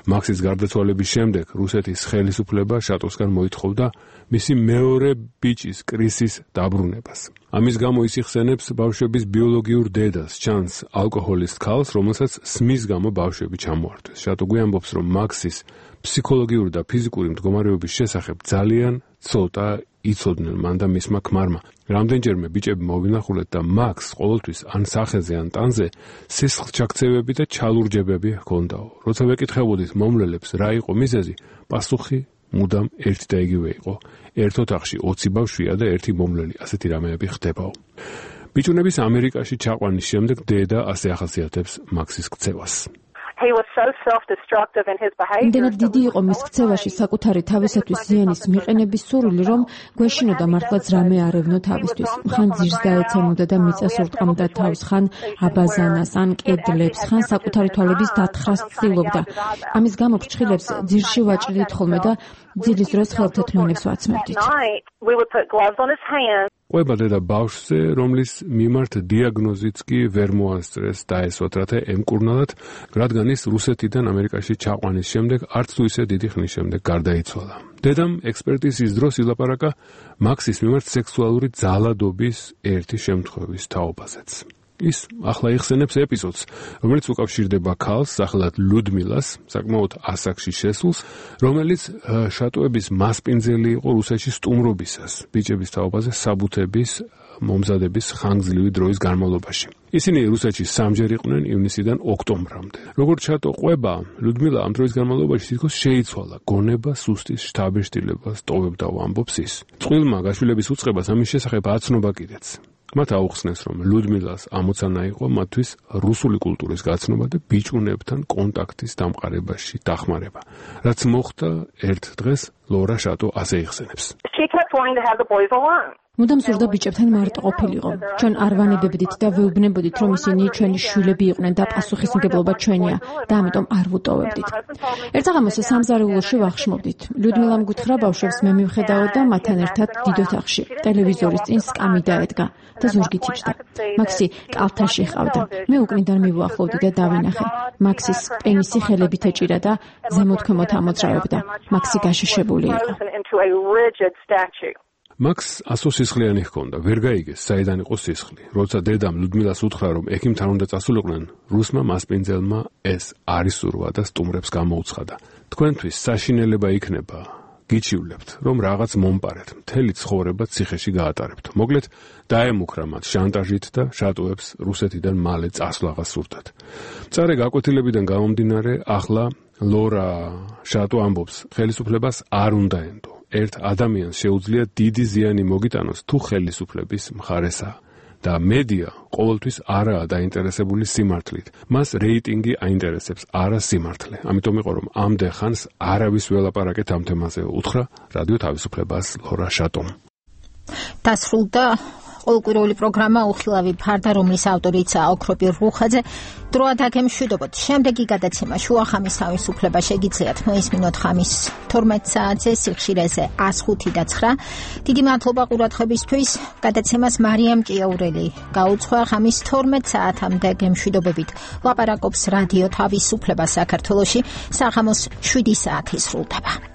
მაქსის გარდაცვალების შემდეგ რუსეთის ხელისუფლება შატოსგან მოითხოვდა მისი მეორე ბიჭის კრისის დაბრუნებას. ამის გამო ის იხსენებს ბავშვების ბიოლოგიურ დედას, ჩანს ალკოჰოლისტ ქალს, რომელსაც სმის გამო ბავშვები ჩამოართვეს. შატო გვიამბობს, რომ მაქსის ფსიქოლოგიური და ფიზიკური მდგომარეობის შესახებ ძალიან ცოტა იცოდნენ მან და მისმა ქმარმა. რამდენჯერმე ბიჭები მოვინახულეთ და მაქს ყოველთვის ან სახეზე ან ტანზე სისხლჩაქცევები და ჩალურჯებები ჰქონდაო. როცა ვეკითხებოდით მომლელებს რა იყო მიზეზი, პასუხი მუდამ ერთი და იგივე იყო. ერთ ოთახში ოცი ბავშვია და ერთი მომლელი, ასეთი რამეები ხდებაო. ბიჭუნების ამერიკაში ჩაყვანის შემდეგ დედა ასე ახასიათებს მაქსის ქცევას. He was so self-destructive in his behavior. იმდენად დიდი იყო მის ქცევაში საკუთარი თავისათვის ზიანის მიყენების სურვილი, რომ გვეშინოდა მართლაც რამე არევნო თავისთვის. ხან ძირს დაეცემოდა და მიწას ურტყამდა თავს, ხან აბაზანას, ან კედლებს, ხან საკუთარი თვალების დათხრას ცდილობდა. ამის გამო ფრჩხილებს ძირში ვაჭრიდით ხოლმე და ძილის დროს ხელთეთმანებს ვაცმევდით. We would put gloves on his hands. ყვება დედა ბავშვზე, რომლის მიმართ დიაგნოზიც კი ვერ მოასწრეს დაესვათ, რათა ემკურნალათ, რადგან ის რუსეთიდან ამერიკაში ჩაყვანის შემდეგ არც თუ ისე დიდი ხნის შემდეგ გარდაიცვალა. დედამ ექსპერტიზის დროს ილაპარაკა მაქსის მიმართ სექსუალური ძალადობის ერთი შემთხვევის თაობაზეც. ის ახლა იხსენებს ეპიზოდს, რომელიც უკავშირდება ქალს, სახელად ლუდმილას, საკმაოდ ასაკში შესულს, რომელიც შატოების მასპინძელი იყო რუსეთში სტუმრობისას, ბიჭების თაობაზე საბუთების მომზადების ხანგრძლივი დროის განმავლობაში. ისინი რუსეთში სამჯერ იყვნენ ივნისიდან ოქტომბრამდე. როგორც შატო ყვება, ლუდმილა ამ დროის განმავლობაში თითქოს შეიცვალა, გონება, სუსტის შთაბეჭდილება სტოვებდა, ამბობს ის. წყვილმა გაშვილების უწყებას ამის შესახებ აცნობა კიდეც. მათ აუხსნეს, რომ ლუდმილას ამოცანა იყო მათთვის რუსული კულტურის გაცნობა და ბიჭუნებთან კონტაქტის დამყარებაში დახმარება. რაც მოხდა ერთ დღეს ლორა შატო ასე იხსენებს. She kept wanting to have the boys alone. მუდამ ზურდა ბიჭებთან მარტო ყოფილიყო. ჩვენ არ ვანებებდით და ვეუბნებოდით, რომ ისინი ჩვენი შვილები იყვნენ და პასუხისმგებლობა ჩვენია და ამიტომ არ ვუტოვებდით. ერთხელ სამზარეულოში ვახშმობდით. ლიუდმილამ გითხრა ბავშვებს მე მივხედავ და მათთან ერთად დიდ ოთახში ტელევიზორის წინ სკამი დაედგა და ზურგით იჯდა. მაქსი კალთაში ყავდა. მე უკნიდან მივუახლოვდი და დავინახე. მაქსის პენისი ხელებით ეჭირა და ზემოთქვემოთ ამოძრავებდა. მაქსი გაშიშებული იყო. მაქს ასო სისხლიანი ჰქონდა, ვერ გაიგეს, საიდან იყო სისხლი. როცა დედამ ლუდმილას უთხრა, რომ ექიმთან უნდა წასულიყვნენ, რუსმა მასპინძელმა ეს არის სურვა და სტუმრებს გამოუცხადა. თქვენთვის საშინელება იქნება, გიჩივლებთ, რომ რაღაც მომპარეთ, მთელი ცხოვრება ციხეში გაატარებთ. მოკლედ, დაემუქრა მათ შანტაჟით და შატოებს რუსეთიდან მალე წასვლაღას სურდათ. მწარე გაკვეთილებიდან გამომდინარე, ახლა ლორა შატო ამბობს, ხელისუფლებას არ უნდა ენდო. ერთ ადამიანს შეუძლია დიდი ზიანი მოგიტანოს თუ ხელისუფლების მხარესაა და მედია ყოველთვის არაა დაინტერესებული სიმართლით. მას რეიტინგი აინტერესებს, არა სიმართლე. ამიტომ იყო რომ ამდენ ხანს არავის ველაპარაკეთ ამ თემაზე, უთხრა რადიო თავისუფლებას ლორა შატომ. დასრულდა ყოველკვირეული პროგრამა უხილავი ფარდა, რომლის ავტორიცაა ოქროპირ რუხაძე. დროა დაგემშვიდობოთ. შემდეგი გადაცემა შუახამის თავისუფლება შეგიძლიათ მოისმინოთ ხამის თორმეტ საათზე სიხშირეზე ას ხუთი და ცხრა. დიდი მადლობა ყურადღებისთვის. გადაცემას მარიამ ჭიაურელი გაუძღვა. ხამის თორმეტ საათამდე გემშვიდობებით. ლაპარაკობს რადიო თავისუფლება საქართველოში. საღამოს შვიდი საათი სრულდება.